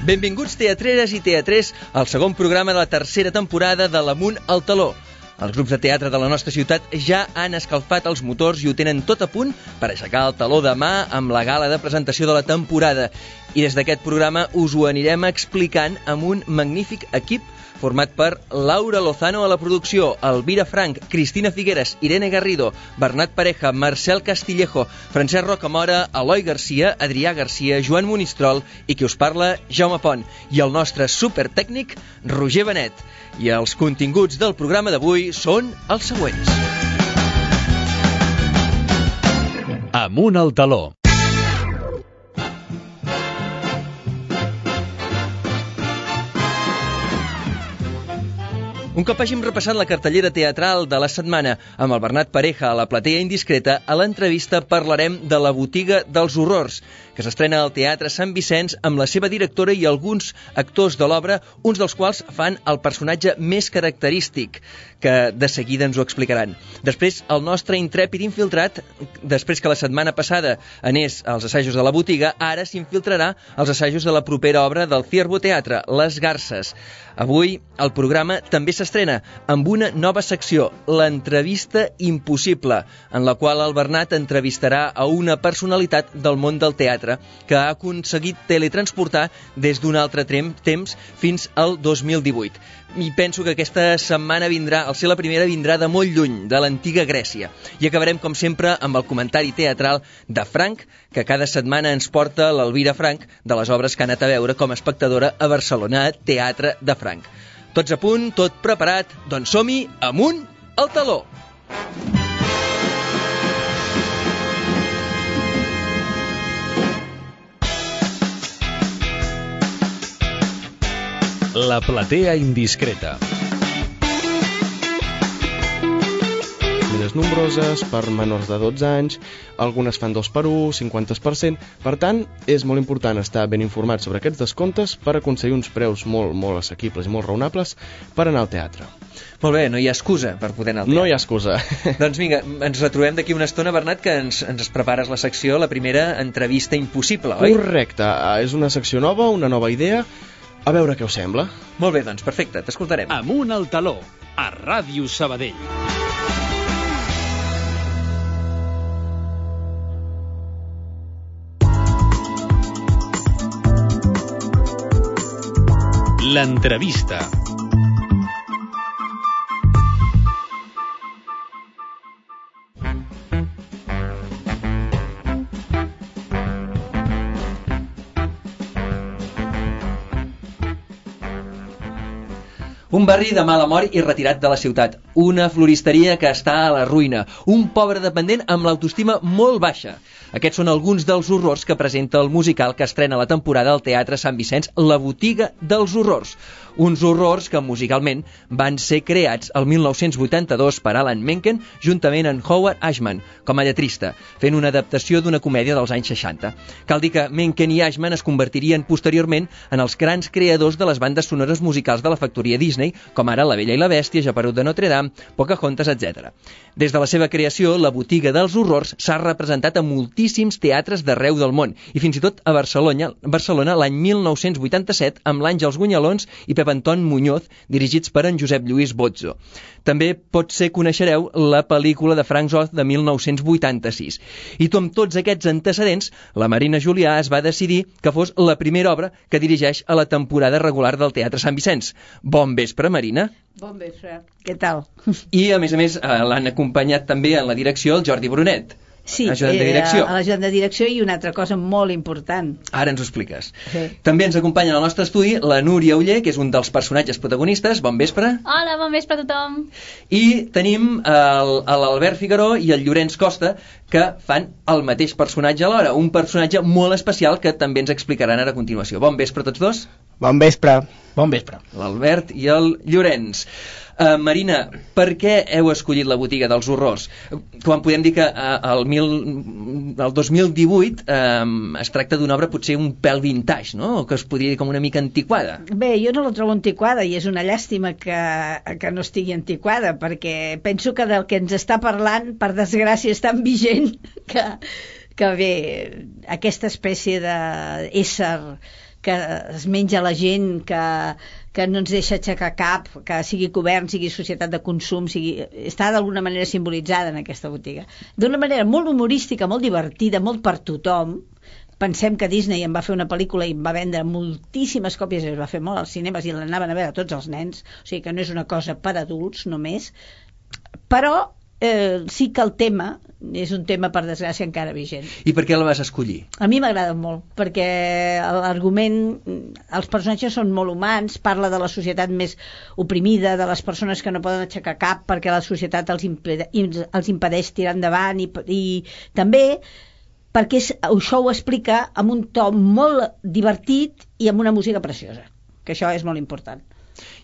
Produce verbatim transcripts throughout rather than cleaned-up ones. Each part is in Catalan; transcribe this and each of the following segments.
Benvinguts teatreres i teatrers al segon programa de la tercera temporada de l'Amunt al Taló. Els grups de teatre de la nostra ciutat ja han escalfat els motors i ho tenen tot a punt per aixecar el taló demà amb la gala de presentació de la temporada. I des d'aquest programa us ho anirem explicant amb un magnífic equip format per Laura Lozano a la producció, Elvira Frank, Cristina Figueres, Irene Garrido, Bernat Pareja, Marcel Castillejo, Francesc Rocamora, Eloi Garcia, Adrià Garcia, Joan Monistrol i qui us parla, Jaume Pont, i el nostre supertècnic, Roger Benet. I els continguts del programa d'avui són els següents. Amunt al Taló. Un cop hàgim repassat la cartellera teatral de la setmana amb el Bernat Pareja a la platea indiscreta, a l'entrevista parlarem de La botiga dels horrors, que s'estrena al Teatre Sant Vicenç amb la seva directora i alguns actors de l'obra, uns dels quals fan el personatge més característic, que de seguida ens ho explicaran. Després, el nostre intrèpid infiltrat, després que la setmana passada anés als assajos de La botiga, ara s'infiltrarà als assajos de la propera obra del Ciervo Teatre, Les Garces. Avui el programa també s'estrena amb una nova secció, l'entrevista impossible, en la qual el Bernat entrevistarà a una personalitat del món del teatre que ha aconseguit teletransportar des d'un altre temps fins al dos mil divuit. I penso que aquesta setmana vindrà, al ser la primera, vindrà de molt lluny, de l'antiga Grècia. I acabarem, com sempre, amb el comentari teatral de Frank, que cada setmana ens porta l'Elvira Frank de les obres que ha anat a veure com a espectadora a Barcelona, Teatre de Frank. Tots a punt, tot preparat, doncs som-hi, amunt al taló! La platea indiscreta. Més nombroses, per menors de dotze anys, algunes fan dos per un, cinquanta per cent. Per tant, és molt important estar ben informat sobre aquests descomptes per aconseguir uns preus molt, molt assequibles i molt raonables per anar al teatre. Molt bé, no hi ha excusa per poder anar al teatre. No hi ha excusa. Doncs vinga, ens retrobem d'aquí una estona, Bernat, que ens, ens prepares la secció, la primera entrevista impossible, oi? Correcte, és una secció nova, una nova idea. A veure què us sembla. Molt bé, doncs perfecte, t'escoltarem. Amunt al Taló, a Ràdio Sabadell. L'entrevista. Un barri de mala mort i retirat de la ciutat. Una floristeria que està a la ruïna. Un pobre dependent amb l'autoestima molt baixa. Aquests són alguns dels horrors que presenta el musical que estrena la temporada al Teatre Sant Vicenç, La botiga dels horrors. Uns horrors que musicalment van ser creats el mil nou-cents vuitanta-dos per Alan Menken juntament amb Howard Ashman com a lletrista, fent una adaptació d'una comèdia dels anys seixanta. Cal dir que Menken i Ashman es convertirien posteriorment en els grans creadors de les bandes sonores musicals de la factoria Disney, com ara La Bella i la Bèstia, Geperut de Notre Dame, Pocahontas, etcètera. Des de la seva creació, La botiga dels horrors s'ha representat a moltíssims teatres d'arreu del món, i fins i tot a Barcelona, Barcelona l'any mil nou-cents vuitanta-set amb l'Àngels Gunyalons i Pep Anton Muñoz, dirigits per en Josep Lluís Bozzo. També potser coneixereu la pel·lícula de Frank Oz de mil nou-cents vuitanta-sis. I tu, amb tots aquests antecedents, la Marina Julià es va decidir que fos la primera obra que dirigeix a la temporada regular del Teatre Sant Vicenç. Bon vespre, Marina. Bon vespre. Què tal? I, a més a més, l'han acompanyat també en la direcció el Jordi Brunet. Sí, ajudant de direcció. a l'ajudant de direcció i una altra cosa molt important. Ara ens ho expliques. Sí. També ens acompanya al nostre estudi la Núria Uller, que és un dels personatges protagonistes. Bon vespre. Hola, bon vespre a tothom. I tenim l'Albert Figueró i el Llorenç Costa, que fan el mateix personatge alhora, un personatge molt especial que també ens explicaran ara a continuació. Bon vespre a tots dos. Bon vespre. Bon vespre. L'Albert i el Llorenç. Uh, Marina, per què heu escollit La botiga dels horrors? Quan podem dir que uh, el, mil, el dos mil divuit uh, es tracta d'una obra potser un pèl vintage, no? O que es podria dir com una mica antiquada. Bé, jo no la trobo antiquada i és una llàstima que, que no estigui antiquada, perquè penso que del que ens està parlant, per desgràcia, és tan vigent que, que bé, aquesta espècie d'ésser que es menja la gent, que, que no ens deixa aixecar cap, que sigui govern, sigui societat de consum, sigui... està d'alguna manera simbolitzada en aquesta botiga. D'una manera molt humorística, molt divertida, molt per tothom. Pensem que Disney en va fer una pel·lícula i va vendre moltíssimes còpies, i es va fer molt als cinemes i l'anaven a veure tots els nens, o sigui que no és una cosa per adults només, però eh, sí que el tema és un tema, per desgràcia, encara vigent. I per què la vas escollir? A mi m'agrada molt, perquè l'argument, els personatges són molt humans, parla de la societat més oprimida, de les persones que no poden aixecar cap perquè la societat els, impede, els impedeix tirar endavant, i, i també perquè és, això ho explica amb un to molt divertit i amb una música preciosa, que això és molt important.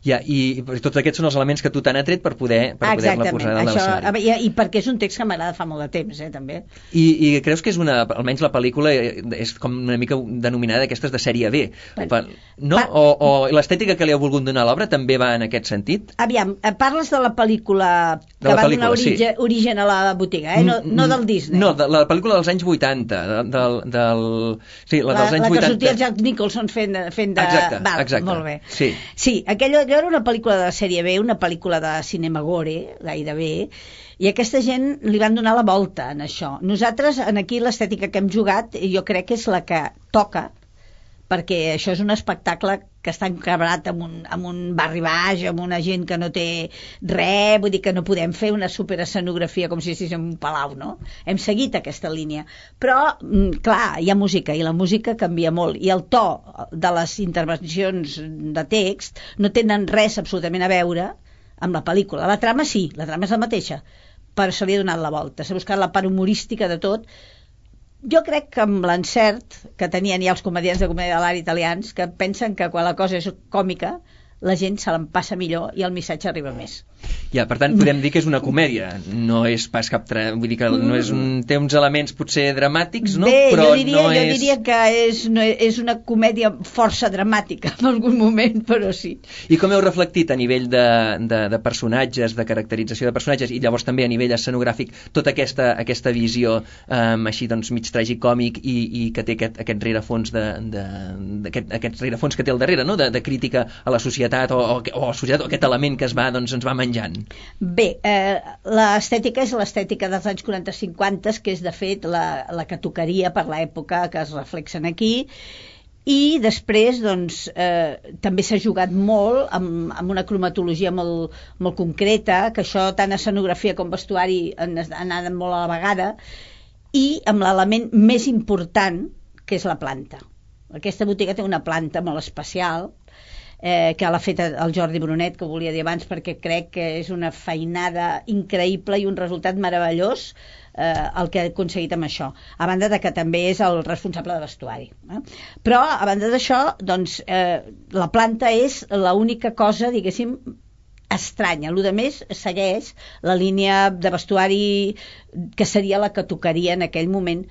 Ja, i, i tots aquests són els elements que tu t'han atret per poder per poder-la posar a l'escenari. I, I perquè és un text que m'agrada fa molt de temps, eh, també. I, I creus que és una, almenys la pel·lícula és com una mica denominada aquestes de sèrie B, per, no? Per, o, o l'estètica que li ha volgut donar a l'obra també va en aquest sentit? Aviam, parles de la pel·lícula que la va pel·lícula, donar origen, sí. origen a la botiga, eh? no, no del Disney. No, de la pel·lícula dels anys vuitanta, del, del, sí, la, la dels anys la vuitanta. La que sortia el Jack Nicholson fent de... Fent de... Exacte, Val, exacte. Molt bé. Sí, sí aquella, allò era una pel·lícula de sèrie B, una pel·lícula de cinema gore, gairebé, i aquesta gent li van donar la volta en això. Nosaltres, en aquí, l'estètica que hem jugat, jo crec que és la que toca, perquè això és un espectacle que està encabrat amb un, amb un barri baix, amb una gent que no té res, vull dir que no podem fer una superescenografia com si estigués en un palau, no? Hem seguit aquesta línia. Però, clar, hi ha música, i la música canvia molt, i el to de les intervencions de text no tenen res absolutament a veure amb la pel·lícula. La trama sí, la trama és la mateixa, però se li ha donat la volta, s'ha buscat la part humorística de tot. Jo crec que amb l'encert que tenien ja els comediants de comèdia de l'art italians, que pensen que quan la cosa és còmica la gent se l'empassa millor i el missatge arriba més. Ja, per tant, podem dir que és una comèdia, no és pas cap... Tra... Vull dir que no és un... té uns elements potser dramàtics, no? Bé, però jo diria, no jo és... diria que és, no, és una comèdia força dramàtica en algun moment, però sí. I com heu reflectit a nivell de, de, de personatges, de caracterització de personatges, i llavors també a nivell escenogràfic, tota aquesta, aquesta visió um, així doncs mig tragicòmic i, i que té aquest, aquest rerefons de, de, aquest, aquest rerefons que té al darrere, no? de, de crítica a la societat o, o, o, societat, o aquest element que es va, doncs, ens va menjant. Bé, eh, l'estètica és l'estètica dels anys quaranta cinquanta, que és de fet la, la que tocaria per l'època que es reflexen aquí, i després doncs, eh, també s'ha jugat molt amb, amb una cromatologia molt, molt concreta, que això tant escenografia com vestuari han anat molt a la vegada, i amb l'element més important, que és la planta. Aquesta botiga té una planta molt especial, Eh, que l'ha fet el Jordi Brunet, que ho volia dir abans, perquè crec que és una feinada increïble i un resultat meravellós eh, el que ha aconseguit amb això, a banda de que també és el responsable de vestuari, eh? Però a banda d'això, doncs, eh, la planta és l'única cosa, diguéssim, estranya. Lo de més segueix la línia de vestuari que seria la que tocaria en aquell moment,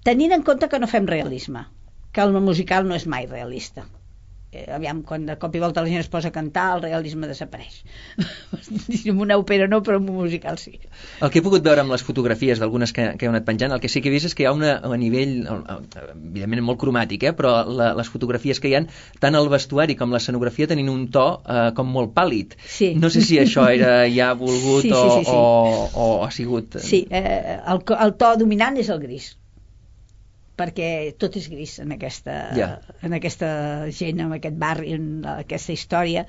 tenint en compte que no fem realisme, que el musical no és mai realista. Eh, aviam, quan de cop i volta la gent es posa a cantar, el realisme desapareix. En una òpera no, però en un musical sí. El que he pogut veure amb les fotografies d'algunes que, que heu anat penjant, el que sí que he vist és que hi ha una, a nivell, evidentment molt cromàtic, eh, però la, les fotografies que hi ha, tant el vestuari com l'escenografia tenint un to eh, com molt pàl·lid. Sí. No sé si això era ja volgut sí, sí, sí, sí. O, o, o ha sigut... Sí, eh, el, el to dominant és el gris, perquè tot és gris en aquesta, yeah. en aquesta gent, en aquest barri, en aquesta història,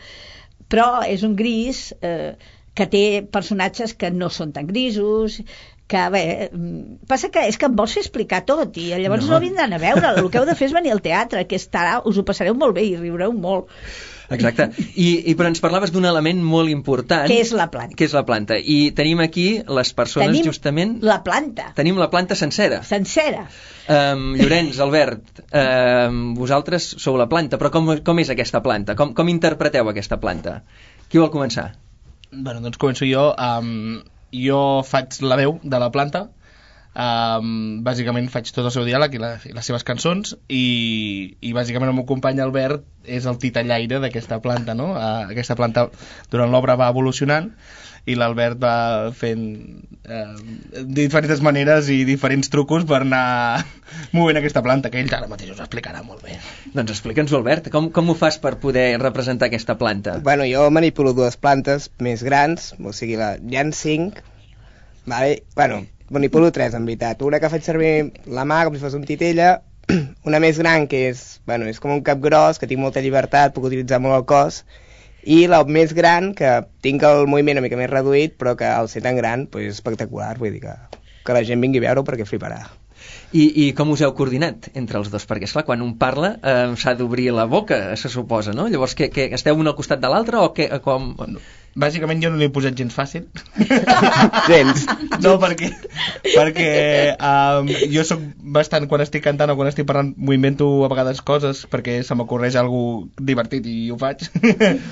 però és un gris eh, que té personatges que no són tan grisos, que bé, passa que és que em vols fer explicar tot i llavors no, no vindran a veure, el que heu de fer és venir al teatre, que estarà, us ho passareu molt bé i riureu molt. Exacte, I, i però ens parlaves d'un element molt important, que és la planta, que és la planta. I tenim aquí les persones tenim justament... la planta. Tenim la planta sencera. Sencera. Um, Llorenç, Albert, um, vosaltres sou la planta, però com, com és aquesta planta? Com, com interpreteu aquesta planta? Qui vol començar? Bueno, doncs començo jo. Um, jo faig la veu de la planta. Um, bàsicament faig tot el seu diàleg i, la, i les seves cançons i, i bàsicament el meu company Albert és el titellaire d'aquesta planta, no? Uh, aquesta planta durant l'obra va evolucionant i l'Albert va fent uh, diferents maneres i diferents trucos per anar movent aquesta planta, que ell ara mateix us explicarà molt bé. Doncs explica'ns-ho, Albert, com, com ho fas per poder representar aquesta planta? Bueno, jo manipulo dues plantes més grans, o sigui, la, hi ha cinc, vale? Bueno, manipulo tres, en veritat. Una que faig servir la mà com si fos un titella, una més gran que és, bueno, és com un cap gros, que tinc molta llibertat, puc utilitzar molt el cos, i la més gran, que tinc el moviment una mica més reduït, però que al ser tan gran, pues, és espectacular, vull dir que, que la gent vingui a veure perquè fliparà. I, I com us heu coordinat entre els dos? Perquè, esclar, quan un parla eh, s'ha d'obrir la boca, se suposa, no? Llavors, que, que esteu un al costat de l'altre o que, com... Bàsicament jo no l'he posat gens fàcil. Gens. No, perquè, perquè um, jo soc bastant, quan estic cantant o quan estic parlant, m'ho invento a vegades coses perquè se m'ocorreix alguna divertit i ho faig.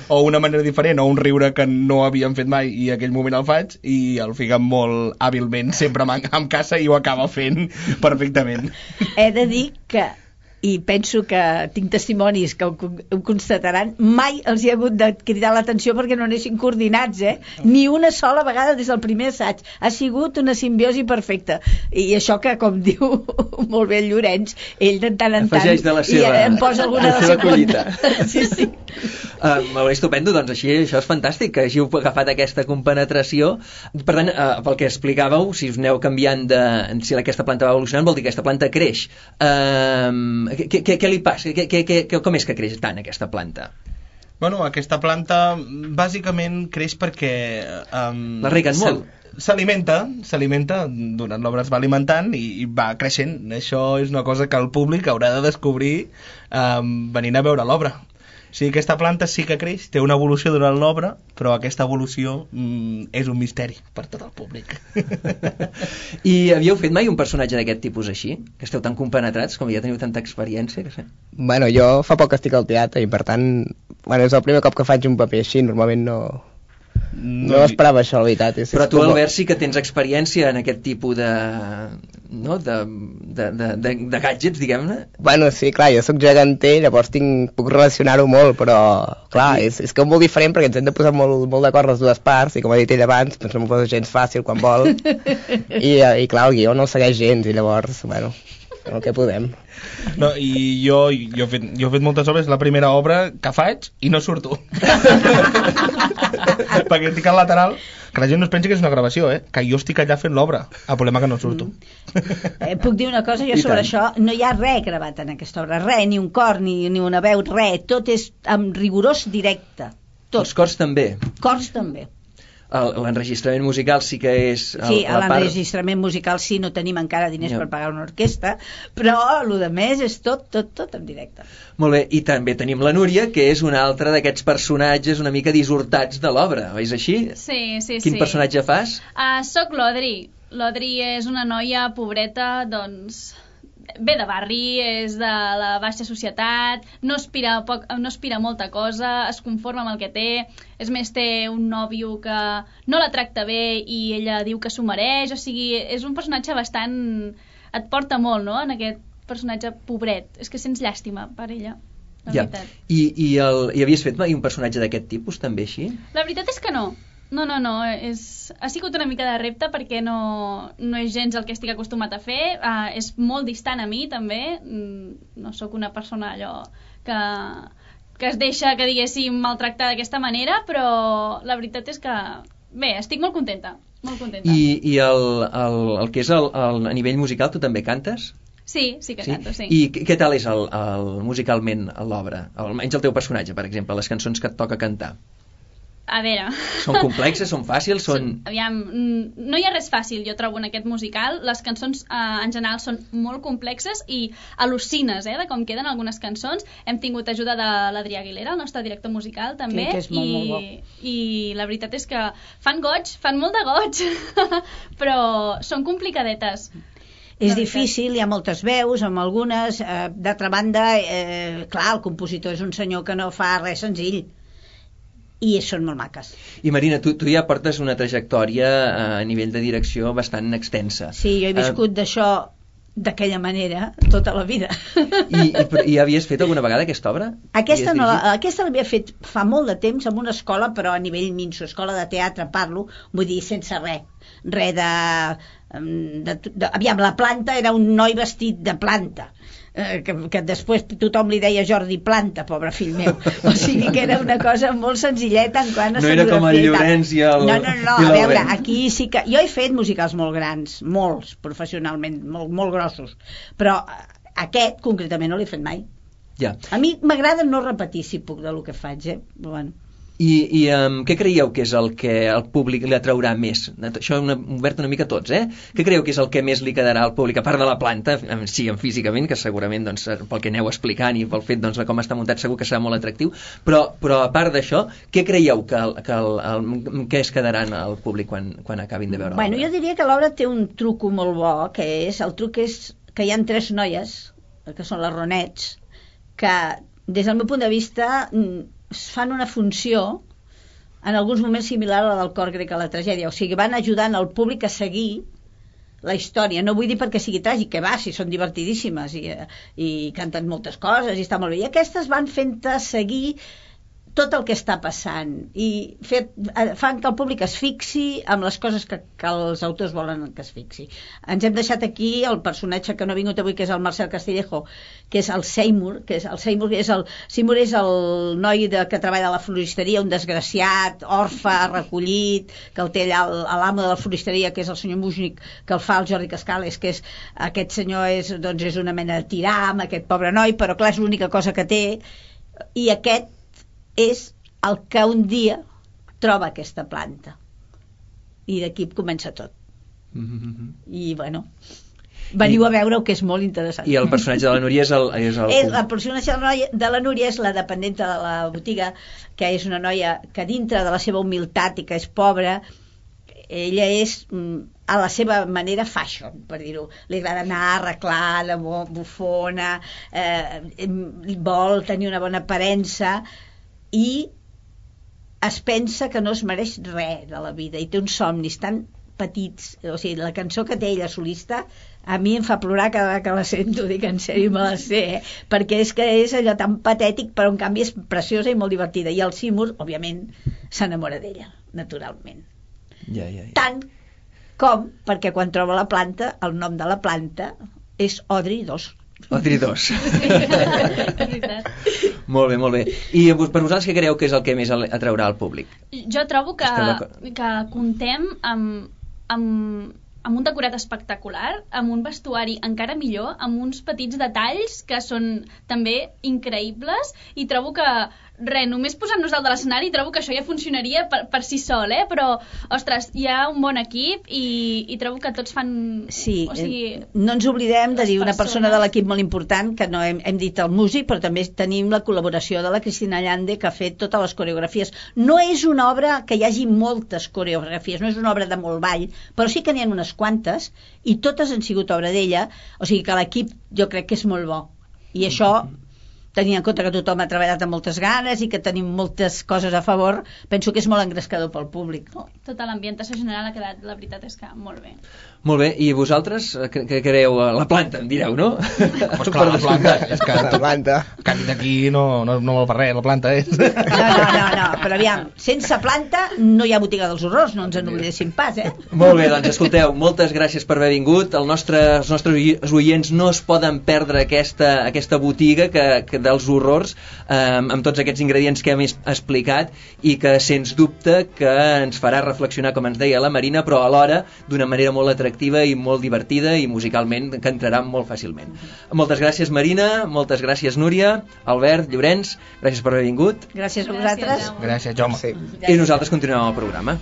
O una manera diferent, o un riure que no havíem fet mai i aquell moment el faig i el Figa molt hàbilment sempre em caça i ho acaba fent perfectament. He de dir que, i penso que tinc testimonis que ho, ho constataran, mai els hi ha hagut de cridar l'atenció perquè no anessin coordinats, eh? Ni una sola vegada des del primer assaig. Ha sigut una simbiosi perfecta. I això que, com diu molt bé el Llorenç, ell de tant en tant afegeix de la seva, i em posa alguna de la seva collita. Sí, sí. Uh, molt bé, estupendo, doncs així, això és fantàstic, que hàgiu agafat aquesta compenetració. Per tant, uh, pel que explicàveu, si us aneu canviant de... si aquesta planta va evolucionant, vol dir que aquesta planta creix. Uh, què, què, què li passa? Què, què, què, com és que creix tant aquesta planta? Bueno, aquesta planta bàsicament creix perquè... Um, la reguen molt? S'alimenta, s'alimenta, durant l'obra es va alimentant i, i va creixent. Això és una cosa que el públic haurà de descobrir um, venint a veure l'obra. O sigui, aquesta planta sí que creix, té una evolució durant l'obra, però aquesta evolució mm, és un misteri per tot el públic. I havíeu fet mai un personatge d'aquest tipus així? Que esteu tan compenetrats, com ja teniu tanta experiència? Que sé. Bueno, jo fa poc que estic al teatre i per tant, bueno, és el primer cop que faig un paper així, normalment no... No, no esperava això, la veritat. És, però és tu, com... Albert, sí que tens experiència en aquest tipus de... no? de, de, de, de, de gadgets, diguem-ne. Bueno, sí, clar, jo sóc geganter, llavors tinc, puc relacionar-ho molt, però, clar, sí. és, és que és molt diferent perquè ens hem de posar molt, molt d'acord les dues parts, i com ha dit ell abans, doncs no m'ho posa gens fàcil quan vol, i, i clar, el guió no el segueix gens, i llavors, bueno, el que podem. No, i jo, jo, he fet, jo he fet moltes obres, la primera obra que faig i no surto. Perquè estic al lateral, que la gent no es pensi que és una gravació, eh? Que jo estic allà fent l'obra, el problema que no surto. Eh, puc dir una cosa jo I sobre tant. Això? No hi ha res gravat en aquesta obra, res, ni un cor, ni, ni una veu, res, tot és amb rigorós directe. Tot. Els cors també? Cors també. L'enregistrament musical sí que és... El, sí, part... l'enregistrament musical sí, no tenim encara diners yeah. per pagar una orquestra, però el de més és tot, tot, tot en directe. Molt bé, i també tenim la Núria, que és una altra d'aquests personatges una mica dissortats de l'obra, és així? Sí, sí, Quin sí. personatge fas? Uh, soc l'Odri. L'Odri és una noia pobreta, doncs... ve de barri, és de la baixa societat, no aspira, poc, no aspira a molta cosa, es conforma amb el que té, és més, té un nòvio que no la tracta bé i ella diu que s'ho mereix, o sigui, és un personatge bastant... et porta molt, no?, en aquest personatge pobret, és que sents llàstima per ella, la ja. veritat. I, i, el, I havies fet mai un personatge d'aquest tipus, també, així? La veritat és que no. No, no, no, és... ha sigut una mica de repte perquè no, no és gens el que estic acostumat a fer, uh, és molt distant a mi també, mm, no sóc una persona allò que, que es deixa, que diguéssim, maltractar d'aquesta manera, però la veritat és que, bé, estic molt contenta, molt contenta. I, i el, el, el que és el, el, a nivell musical, tu també cantes? Sí, sí que sí? canto, sí. I què tal és el, el, musicalment l'obra? Almenys el teu personatge, per exemple, les cançons que et toca cantar. A veure... Són complexes, són fàcils, són... Aviam, no hi ha res fàcil, jo trobo, en aquest musical. Les cançons, eh, en general, són molt complexes i al·lucines, eh, de com queden algunes cançons. Hem tingut ajuda de l'Adrià Aguilera, el nostre director musical, també. Sí, que és molt, i, molt bo. I la veritat és que fan goig, fan molt de goig, però són complicadetes. És difícil, hi ha moltes veus, amb algunes. Eh, D'altra banda, eh, clar, el compositor és un senyor que no fa res senzill. i són molt maques. I Marina, tu, tu ja portes una trajectòria a nivell de direcció bastant extensa. Sí, jo he viscut uh, d'això d'aquella manera tota la vida. I, i, I havies fet alguna vegada aquesta obra? Aquesta no, aquesta l'havia fet fa molt de temps en una escola, però a nivell minso, escola de teatre parlo, vull dir, sense res. Res de, de, de... Aviam, la planta era un noi vestit de planta. Eh, que, que després tothom li deia Jordi Planta, pobre fill meu. O sigui que era una cosa molt senzilleta en quant a no era com el Llorenç i el... No, no, no, a veure, aquí sí que... Jo he fet musicals molt grans, molts, professionalment, molt, molt grossos, però aquest concretament no l'he fet mai. Ja. A mi m'agrada no repetir, si puc, del que faig, eh? Bueno. I, i um, què creieu que és el que al públic li atraurà més? Això ho hem obert una mica tots, eh? Què creieu que és el que més li quedarà al públic, a part de la planta, sí, físicament, que segurament, doncs, pel que aneu explicant i pel fet doncs, de com està muntat segur que serà molt atractiu, però, però a part d'això, què creieu que, que, el, el, que es quedaran al públic quan, quan acabin de veure l'obra? Bueno, jo diria que l'obra té un truco molt bo, que és, el truc és que hi ha tres noies, que són les Ronets, que des del meu punt de vista fan una funció en alguns moments similar a la del cor grec a la tragèdia, o sigui, van ajudant el públic a seguir la història, no vull dir perquè sigui tràgic, que va, si són divertidíssimes i, i canten moltes coses i està molt bé, i aquestes van fent-te seguir tot el que està passant i fet, fan que el públic es fixi amb les coses que, que els autors volen que es fixi. Ens hem deixat aquí el personatge que no ha vingut avui, que és el Marcel Castillejo, que és el Seymour, que és el Seymour és el, Seymour és el noi de, que treballa a la floristeria, un desgraciat, orfe, recollit, que el té allà l'amo de la floristeria, que és el senyor Mujnik, que el fa el Jordi Cascales, que és, aquest senyor és, doncs, és una mena de tiram, aquest pobre noi, però clar, és l'única cosa que té, i aquest és el que un dia troba aquesta planta i d'aquí comença tot. Mm-hmm. I bueno, veniu I... a veure-ho, que és molt interessant. I el personatge de la Núria és el... És el... el, el personatge de la, noia, de la Núria és la dependenta de la botiga, que és una noia que dintre de la seva humilitat i que és pobra, ella és a la seva manera fashion, per dir-ho. Li agrada anar arreglada, bufona, eh, vol tenir una bona aparença i es pensa que no es mereix res de la vida i té uns somnis tan petits, o sigui, la cançó que té ella solista a mi em fa plorar cada vegada que la sento, dic en sèrio, me la sé, eh? Perquè és que és allò tan patètic, però en canvi és preciosa i molt divertida, i el Seymour, òbviament, s'enamora d'ella, naturalment. Ja, ja, ja. Tant com perquè quan troba la planta, el nom de la planta és Audrey dos. Audrey dos. Molt bé, molt bé. I per vosaltres què creieu que és el que més atraurà al públic? Jo trobo que, que contem amb, amb, amb un decorat espectacular, amb un vestuari encara millor, amb uns petits detalls que són també increïbles, i trobo que res, només posant-nos dalt de l'escenari trobo que això ja funcionaria per, per si sol, eh? Però, ostres, hi ha un bon equip i, i trobo que tots fan... Sí, o sigui, no ens oblidem de dir una persona de l'equip molt important, que no hem, hem dit el músic, però també tenim la col·laboració de la Cristina Llande, que ha fet totes les coreografies. No és una obra que hi hagi moltes coreografies, no és una obra de molt ball, però sí que n'hi ha unes quantes, i totes han sigut obra d'ella, o sigui que l'equip jo crec que és molt bo. I això... tenint en compte que tothom ha treballat amb moltes ganes i que tenim moltes coses a favor, penso que és molt engrescador pel públic. No? Tota l'ambientació general ha quedat, la veritat és que molt bé. Molt bé, i vosaltres què creieu? La planta, em direu, no? Pues clar, la planta, és que la planta. Que d'aquí no, no, no vol per res, la planta és. No, no, no, no, però aviam, sense planta no hi ha botiga dels horrors, no ens en oblidéssim pas, eh? Molt bé, doncs escolteu, moltes gràcies per haver vingut. El nostre, els nostres oients no es poden perdre aquesta, aquesta botiga que, que dels horrors, eh, amb tots aquests ingredients que hem explicat i que sens dubte que ens farà reflexionar, com ens deia la Marina, però alhora d'una manera molt atractiva i molt divertida i musicalment que entrarà molt fàcilment. Moltes gràcies, Marina, moltes gràcies, Núria, Albert, Llorenç, gràcies per haver vingut. Gràcies a vosaltres. Gràcies, Jaume. Sí. I nosaltres continuem el programa.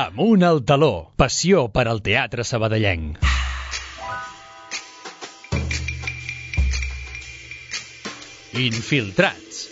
Amunt al taló, passió per al teatre sabadellenc. Infiltrats.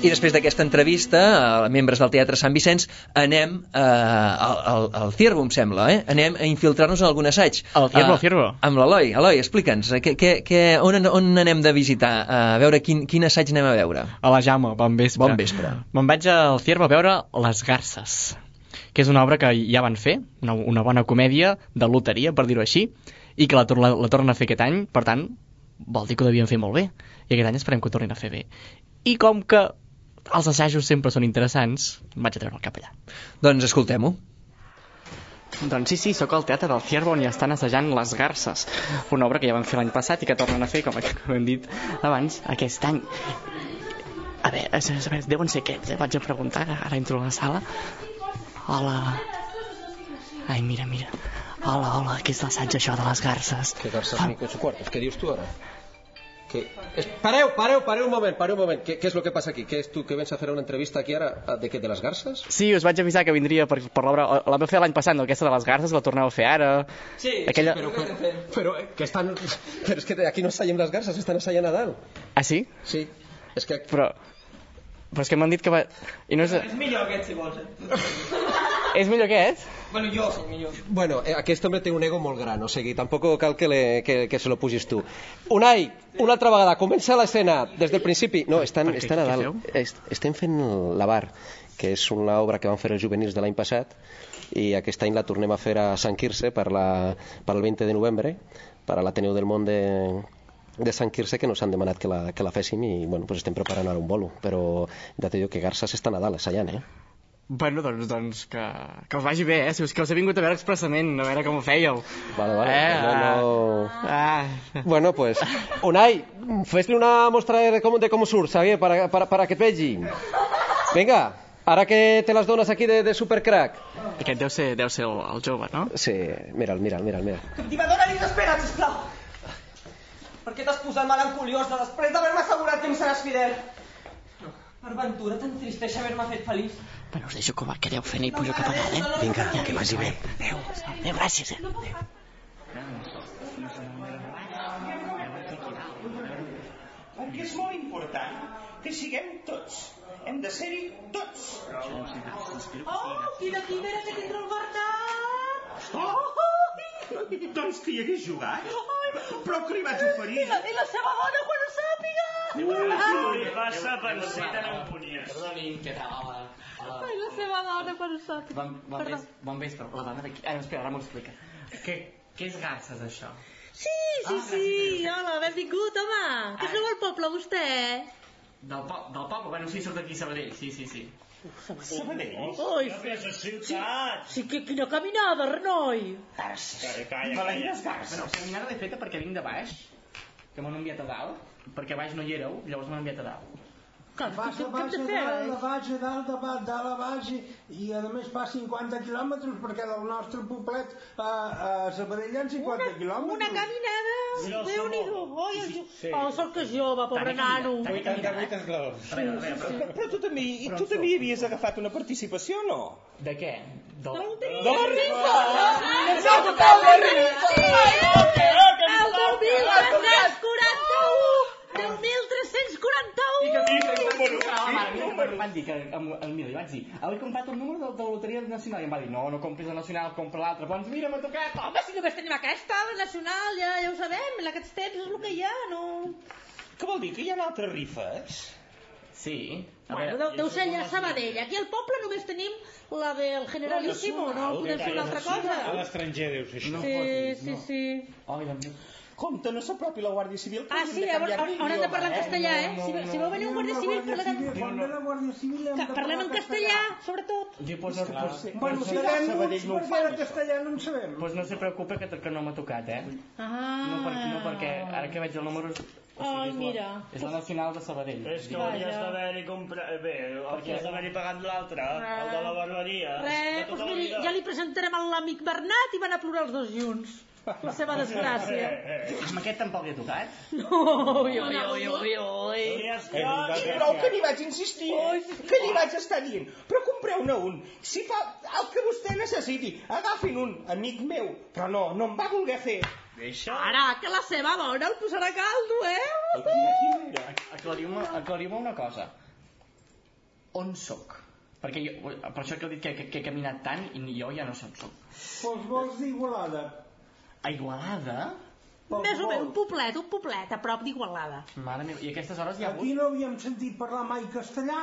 I després d'aquesta entrevista a membres del Teatre Sant Vicenç anem eh, al, al, al Ciervo, em sembla, eh? Anem a infiltrar-nos en algun assaig. Al Ciervo, uh, Ciervo. Amb l'Eloi. Eloi, explica'ns, que, que, que, on, on anem de visitar? A veure quin, quin assaig anem a veure. A la Jaume, bon vespre. Bon vespre. Me'n vaig al Ciervo a veure Les Garces, que és una obra que ja van fer, una, una bona comèdia de loteria, per dir-ho així, i que la, la, la tornen a fer aquest any, per tant, vol dir que ho devien fer molt bé. I aquest any esperem que ho tornin a fer bé. I com que els assajos sempre són interessants, vaig a treure el cap allà. Doncs escoltem-ho. Doncs sí, sí, sóc al Teatre del Ciervo on hi estan assajant Les Garces, una obra que ja van fer l'any passat i que tornen a fer, com hem dit abans, aquest any. A veure, a veure, deuen ser aquests, eh? Vaig a preguntar, ara entro a la sala. Hola. Ai, mira, mira. Hola, hola, què és l'assaig això de Les Garces? ¿Qué garces ni con su cuartos? ¿Qué dios tú ahora? ¿Qué? Es... Pareu, pareu, pareu un moment, pareu un moment. ¿Qué, ¿Qué es lo que pasa aquí? ¿Qué es tú que vens a hacer una entrevista aquí ara? ¿De qué? ¿De les garces? Sí, us vaig avisar que vindria per, per l'obra. La vam fer l'any passat, no? Aquesta de Les Garces, la torneu a fer ara. Sí, Aquella... sí però, però, però, eh, que estan... Però és que aquí no ensayem les garces, estan ensayant a dalt. Ah, sí? Sí, és que... Però... Però és que m'han dit que va... I no és... És millor aquest, si vols. És millor aquest? Bueno, jo soc millor. Bueno, eh, aquest home té un ego molt gran, o sigui, tampoc cal que, le, que, que se lo pugis tu. Unai, una altra vegada, comença l'escena des del principi. No, estan, què, estan a què dalt. Est, estem fent La Bar, que és una obra que van fer els juvenils de l'any passat, i aquest any la tornem a fer a Sant Quirze per, la, per el veinte de novembre, per a l'Ateneu del Món de... de Sant Quirze, que nos han demanat que la, que la féssim i bueno, pues estem preparant ara un bolo, però ja te dic que Garces està a Nadal assajant, eh? Bueno, doncs, doncs que, que us vagi bé, eh? Si us, que us he vingut a veure expressament, a veure com ho fèieu. Vale, vale. Eh, no, no... Ah. Bueno, pues, Unai, fes-li una mostra de com, de com surt, Xavier, para, para, para que et vegi. Vinga, ara que te les dones aquí de, de supercrack. Aquest deu ser, deu ser el, el jove, no? Sí, mira'l, mira'l, mira'l, mira'l. Captivadora, ni espera, sisplau. Per què t'has posat melancoliós després d'haver-me assegurat que em seràs fidel? Per ventura t'entristeix haver-me fet feliç. Bueno, us deixo que, va, que aneu fent i pujo cap a dalt, eh? Vinga, que vagi bé. Adéu, adéu, gràcies, eh? Perquè és molt important que siguem tots. Hem de ser-hi tots. Oh, quina quimera que tindrà el Bernat! Oh! Doncs que hi hagués jugat. Però que li vaig oferir. I la, i la seva dona quan ho sàpiga! Si li passa per ser tan impunies. Perdonin, què tal? Hola. Hola. Ai, la seva dona quan ho sàpiga. Bon, bon, ves, bon vespre. La dona d'aquí... Ah, espera, ara m'ho explica. Què, què és Garces, això? Sí, sí, ah, sí. Hola, benvingut, home. Que és nou al poble, vostè? Del, po del poble? Bueno, sí, sóc d'aquí, Sabadell. Sí, sí, sí. Sabadell? Ui, és a ciutat. Sí, que quina caminada, Renoi. Garces. Calla, calla. Bueno, caminada l'he feta perquè vinc de baix, que m'han enviat a dalt, perquè a baix no hi éreu, llavors m'han enviat a dalt. Què Vas a baix, a dalt, de baix, a dalt, de baix, dalt a baix, i a més fa cinquanta quilòmetres, perquè del nostre poblet a, a Sabadell hi ha cinquanta quilòmetres. Una caminada, Déu-n'hi-do. Oi, oh, sort que és jove, pobre nano. vuitanta esglaons. Però tu també, tu també hi havies agafat una participació, no? De què? De la rifa! El dos mil tres-cents quaranta-u! deu mil tres-cents quaranta-u! Van dir que el Mili, vaig dir, he comprat un número de la loteria nacional, i em va dir, no, no compris la nacional, compra l'altra. Doncs mira, m'ha tocat. Home, si només tenim aquesta, la nacional, ja, ja ho sabem, en aquests temps és el que hi ha, no? Què vol dir, que hi ha altres rifes? Sí. Bueno, deu, deu ser allà a Sabadell. Aquí al poble només tenim la del Generalíssimo, no podem fer una altra cosa. A l'estranger deu ser això. Sí, sí, sí. Ai, doncs... Compte, no s'apropi la Guàrdia Civil. Ah, sí, haurem de parlar en castellà, eh? Si, si veu venir un guàrdia civil, parlarem... Parlem en castellà, sobretot. Sí, pues no, pues, bueno, si sabem uns, perquè de castellà no en sabem. Pues no se preocupe que, que no m'ha tocat, eh? Ah. No, per, no perquè ara que veig el número... O sigui, Ai, és mira. La, és la nacional de Sabadell. És que hauries d'haver-hi comprat... Bé, hauries d'haver-hi pagat l'altre, el de la barberia. Res, doncs miri, ja li presentarem a l'amic Bernat i van a plorar els dos junts. La seva desgràcia. Amb aquest tampoc li ha tocat? No, ui, ui, ui, ui, ui. I prou que n'hi vaig insistir, que n'hi vaig estar dient. Però compreu-ne un. Si fa el que vostè necessiti, agafin un, amic meu. Però no, no em va voler fer. Deixa. Ara, que la seva dona el posarà a caldo, eh? Aclariu-me aclariu una cosa. on sóc? Perquè jo, per això que he dit que, que, que he caminat tant i jo ja no sé on sóc. Doncs vols d'Igualada. A Igualada? Més o menys, un poblet, un poblet, a prop d'Igualada. Mare meva, i a aquestes hores hi ha hagut... Aquí no havíem sentit parlar mai castellà.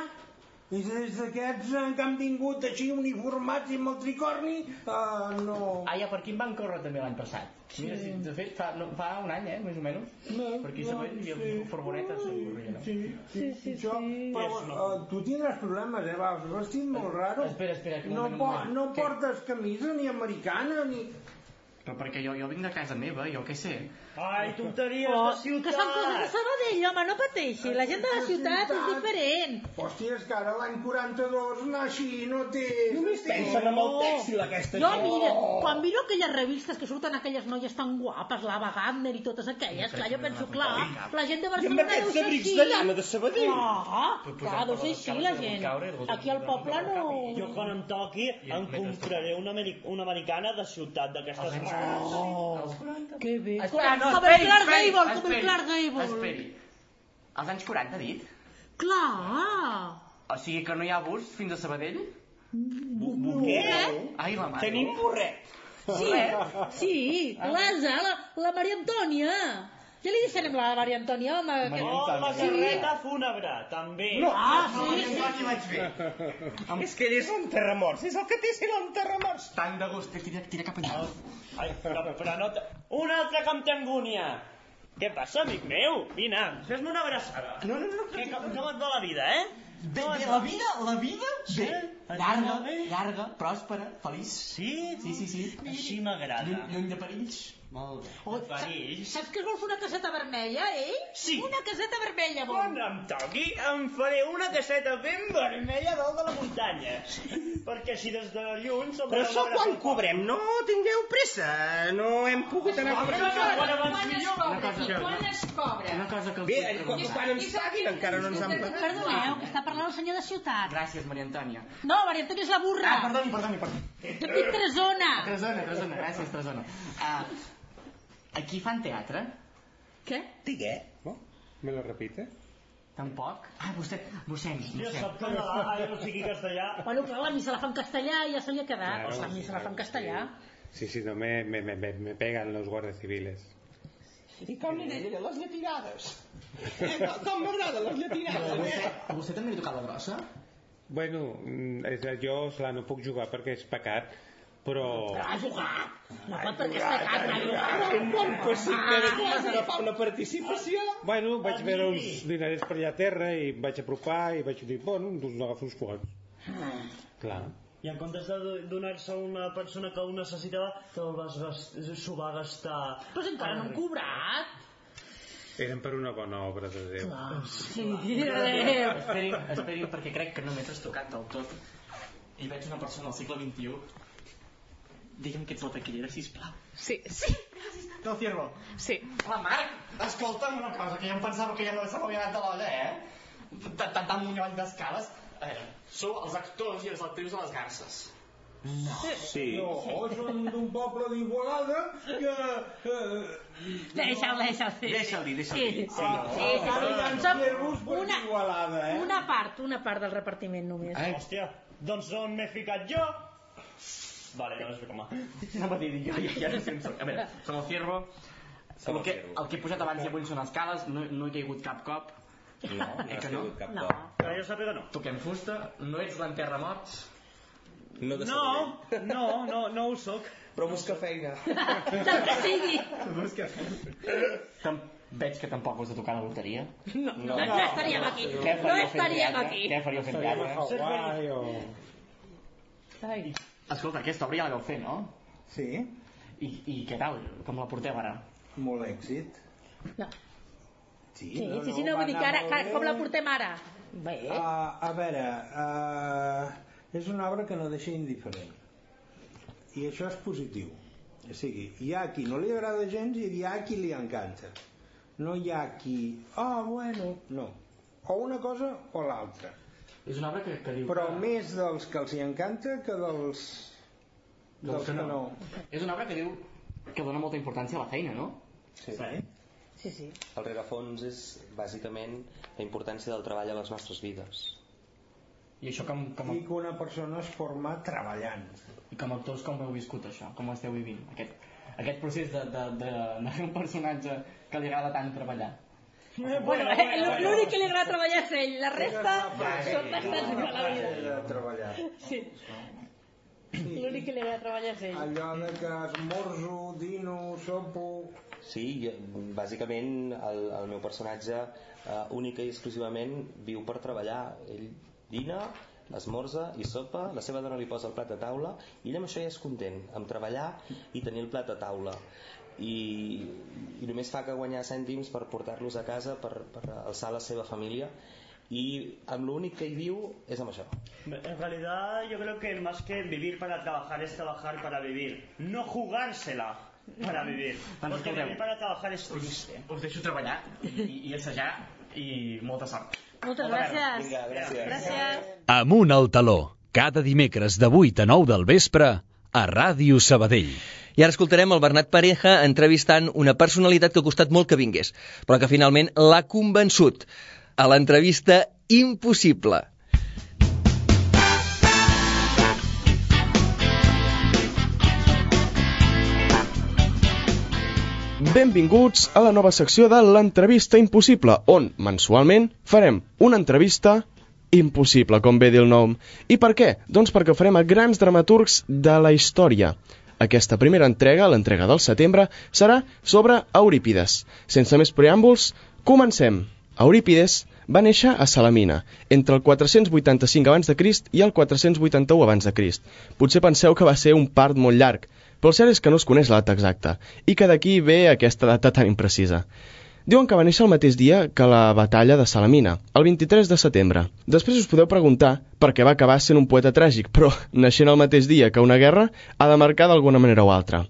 I des d'aquests que han vingut així uniformats i amb el tricorni, uh, no... Ah, ja, per aquí em van córrer també l'any passat. Sí. Mira, si, de fet, fa, no, fa un any, eh, més o menys. No, per aquí no, hi havia sí. furgonetes. Sí, sí, sí, sí, sí. Però uh, tu tindràs problemes, eh? Vas vestit molt raro. Espera, espera. No, po no portes camisa ni americana, ni... Però perquè jo, jo vinc de casa meva, jo què sé. Ai, tonteries oh, de ciutat! Que són coses de Sabadell, home, no pateixi. La gent de la ciutat és diferent. Hòstia, és que ara l'any quaranta-dos anar així no té... Només pensen en el tèxtil, aquesta jo, gent. mira, quan miro aquelles revistes que surten aquelles noies tan guapes, l'Ava Gardner i totes aquelles, clar, jo penso, clar, la gent de Barcelona deu ser així. de llana de Sabadell. Clar, clar, deu ser així la gent. Aquí al poble no... Jo quan em toqui em compraré una, una americana de ciutat d'aquestes... Oh, que bé. Espera, no, com esperi, el Clark esperi, Gable, com esperi, el Clark Gable. Esperi. Als anys quaranta, ha dit? Clar. O sigui que no hi ha bus fins a Sabadell? No. Què? Ai, la mare. Tenim burret. Sí, sí, l'Asa, la, la Maria Antònia. Ja li deixarem la Maria Antònia, home. Que... Oh, la carreta fúnebre, també. No, ah, no, sí, no, no, vaig fer. És que és un terramorts, és el que té ser un terramorts. Tant de gust, tira, tira cap allà. Ai, però, però no... Un altre que em té angúnia. Què passa, amic meu? Vine, fes-me una abraçada. No, no, no. Que, com, com et va la vida, eh? Bé, bé, la vida, la vida? Bé, llarga, llarga, pròspera, feliç. Sí? Sí, sí, sí. Així m'agrada. Lluny, lluny de perills. Molt bé. Oh, saps, saps que es vol fer una caseta vermella, eh? Sí. Una caseta vermella, vol. Quan em toqui, em faré una caseta ben vermella dalt de la muntanya. Perquè si des de lluny... Però això quan cobrem? No tingueu pressa. No hem pogut anar a cobrar. Quan es cobra? Quan es cobra? Una cosa que els Bé, vull quan, preguntar. quan ens paguin encara no ens han pagat. Perdoneu, que està parlant el senyor de ciutat. Gràcies, Maria Antònia. No, Maria Antònia és la burra. Ah, perdoni, perdoni, perdoni. T'he dit Tresona. Tresona, Tresona, gràcies, Tresona. Uh, aquí fan teatre? Què? Digué. ¿No? ¿Me lo repite? Tampoc? Ah, vostè, mossèn, Jo mossèn. sap que ah, jo no sigui castellà. Bueno, clar, la missa la fa en castellà i ja se li ha quedat. Claro, la missa la fa en castellà. Sí, sí, no, me, me, me, me pegan los guardias civiles. I com li deia, les llatinades. Eh, com m'agraden les llatinades, eh? A vostè també li ha tocat la grossa? Bueno, és, jo, clar, no puc jugar perquè és pecat, però... Però ha jugat! No pot perquè és pecat, ha jugat! Impossible, vas agafar una participació. Bueno, vaig veure uns dinerets per allà a terra i em vaig apropar i vaig dir, bueno, doncs n'agafo uns quants. Clar. I en comptes de donar-se a una persona que ho necessitava, te'l vas s'ho va gastar. Però si encara no han cobrat. Eren per una bona obra de Déu. Clar, sí, de Déu. Esperin, esperin, perquè crec que no m'he trastocat del tot. I veig una persona al segle vint-i-u. Digue'm que ets la taquillera, sisplau. Sí, sí. Del Ciervo. Sí. Hola, Marc, escolta'm una cosa, que ja em pensava que ja no se m'havia anat de l'olla, eh? Tant amunt i avall d'escales. A veure, sou els actors i les actrius de les Garces. No. Sí. No, som d'un poble d'Igualada que... Eh... Deixa'l, deixa'l. Deixa'l dir, deixa'l dir. Sí, sí, sí, sí. Som una, Igualada, eh? una part, una part del repartiment només. Ai. Hòstia, doncs on m'he ficat jo? Vale, no és com a... No m'ha dit jo, ja, ja no sé on soc. A veure, som el Ciervo. El que, el que he posat abans i avui són escales, no, no he caigut cap cop. No, no eh has que no? caigut cap No. cop. Que jo sàpiga no. Toquem fusta, no ets l'enterramorts. No, de No, no, no, no ho soc. Però busca feina. Del que sigui. Busca feina. Tam veig que tampoc us ha tocat la loteria. No, no, no, no estaríem aquí. No estaríem aquí. Què faríeu fent teatre? Hawaii o... Ai. Escolta, aquesta obra ja la vau fer, no? Sí, I, i què tal? Com la porteu ara? molt èxit. No. Sí, Sí, no, sí, sí, no, va vull dir que anar ara, molt que, bé. com la portem ara? Bé. Uh, a veure, uh, és una obra que no deixa indiferent. I això és positiu. O sigui, hi ha qui no li agrada gens i hi ha qui li encanta. No hi ha qui... Ah, oh, bueno, no. O una cosa o l'altra. És una obra que, que diu... Però que... més dels que els hi encanta que dels... dels que no. És una obra que diu que dona molta importància a la feina, no? Sí. Sí, sí. El rerefons és bàsicament la importància del treball a les nostres vides. I això com, com... I que una persona es forma treballant. I com a actors com heu viscut això? Com ho esteu vivint? Aquest, aquest procés de, de, de, de fer un personatge que li agrada tant treballar. Bueno, bueno, bueno, l'únic que li agrada treballar és ell, la resta són bastats de la vida. Treballar. Sí. L'únic que li agrada treballar és ell. Allò de que esmorzo, dino, sopo... Sí, jo, bàsicament el, el meu personatge uh, única i exclusivament viu per treballar. Ell dina, esmorza i sopa, la seva dona li posa el plat a taula i ell amb això ja és content, amb treballar i tenir el plat a taula. I, i només fa que guanyar cèntims per portar-los a casa, per, per alçar la seva família, y amb l'únic que hi viu és amb això. En realidad yo creo que más que vivir para trabajar es trabajar para vivir, no jugársela para vivir, porque vivir para trabajar es triste. Us deixo treballar i, i assajar i molta sort. Moltes gràcies. Vinga, gràcies. Gràcies. Amunt al taló, cada dimecres de vuit a nou del vespre a Ràdio Sabadell. I ara escoltarem el Bernat Pareja entrevistant una personalitat que ha costat molt que vingués, però que finalment l'ha convençut. A l'entrevista Impossible. Benvinguts a la nova secció de l'Entrevista Impossible, on mensualment farem una entrevista impossible, com bé diu el nom. I per què? Doncs perquè ho farem a grans dramaturgs de la història. Aquesta primera entrega, l'entrega del setembre, serà sobre Eurípides. Sense més preàmbuls, comencem. Eurípides va néixer a Salamina, entre el quatre-cents vuitanta-cinc abans de Crist i el quatre-cents vuitanta-u abans de Crist. Potser penseu que va ser un part molt llarg, però el cert és que no es coneix la data exacta, i que d'aquí ve aquesta data tan imprecisa. Diuen que va néixer el mateix dia que la batalla de Salamina, el vint-i-tres de setembre. Després us podeu preguntar per què va acabar sent un poeta tràgic, però naixent el mateix dia que una guerra ha de marcar d'alguna manera o altra.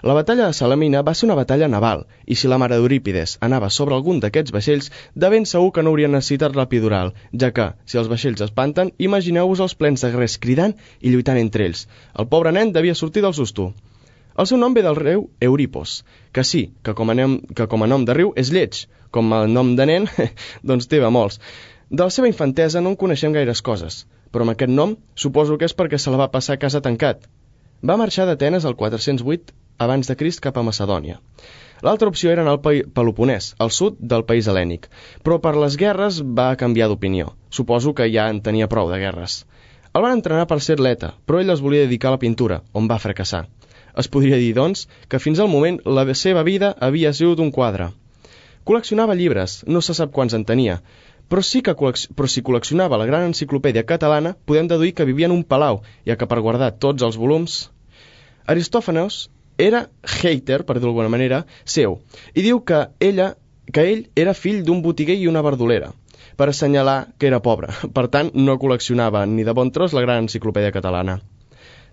La batalla de Salamina va ser una batalla naval, i si la mare d'Eurípides anava sobre algun d'aquests vaixells, de ben segur que no haurien necessitat l'epidural, ja que, si els vaixells espanten, imagineu-vos els plens de guerrers cridant i lluitant entre ells. El pobre nen devia sortir del susto. El seu nom ve del riu Euripos, que sí, que com a nom, que com a nom de riu és lleig, com el nom de nen, doncs té molts. De la seva infantesa no en coneixem gaires coses, però amb aquest nom suposo que és perquè se la va passar a casa tancat. Va marxar d'Atenes el quatre-cents vuit abans de Crist cap a Macedònia. L'altra opció era anar al Peloponès, al sud del país hel·lènic, però per les guerres va canviar d'opinió. Suposo que ja en tenia prou de guerres. El van entrenar per ser atleta, però ell es volia dedicar a la pintura, on va fracassar. Es podria dir, doncs, que fins al moment la seva vida havia sigut un quadre. Col·leccionava llibres, no se sap quants en tenia, però, sí que però si col·leccionava la gran enciclopèdia catalana, podem deduir que vivia en un palau, ja que per guardar tots els volums... Aristòfanes era hater, per dir d'alguna manera, seu, i diu que, ella, que ell era fill d'un botiguer i una verdolera, per assenyalar que era pobre. Per tant, no col·leccionava ni de bon tros la gran enciclopèdia catalana.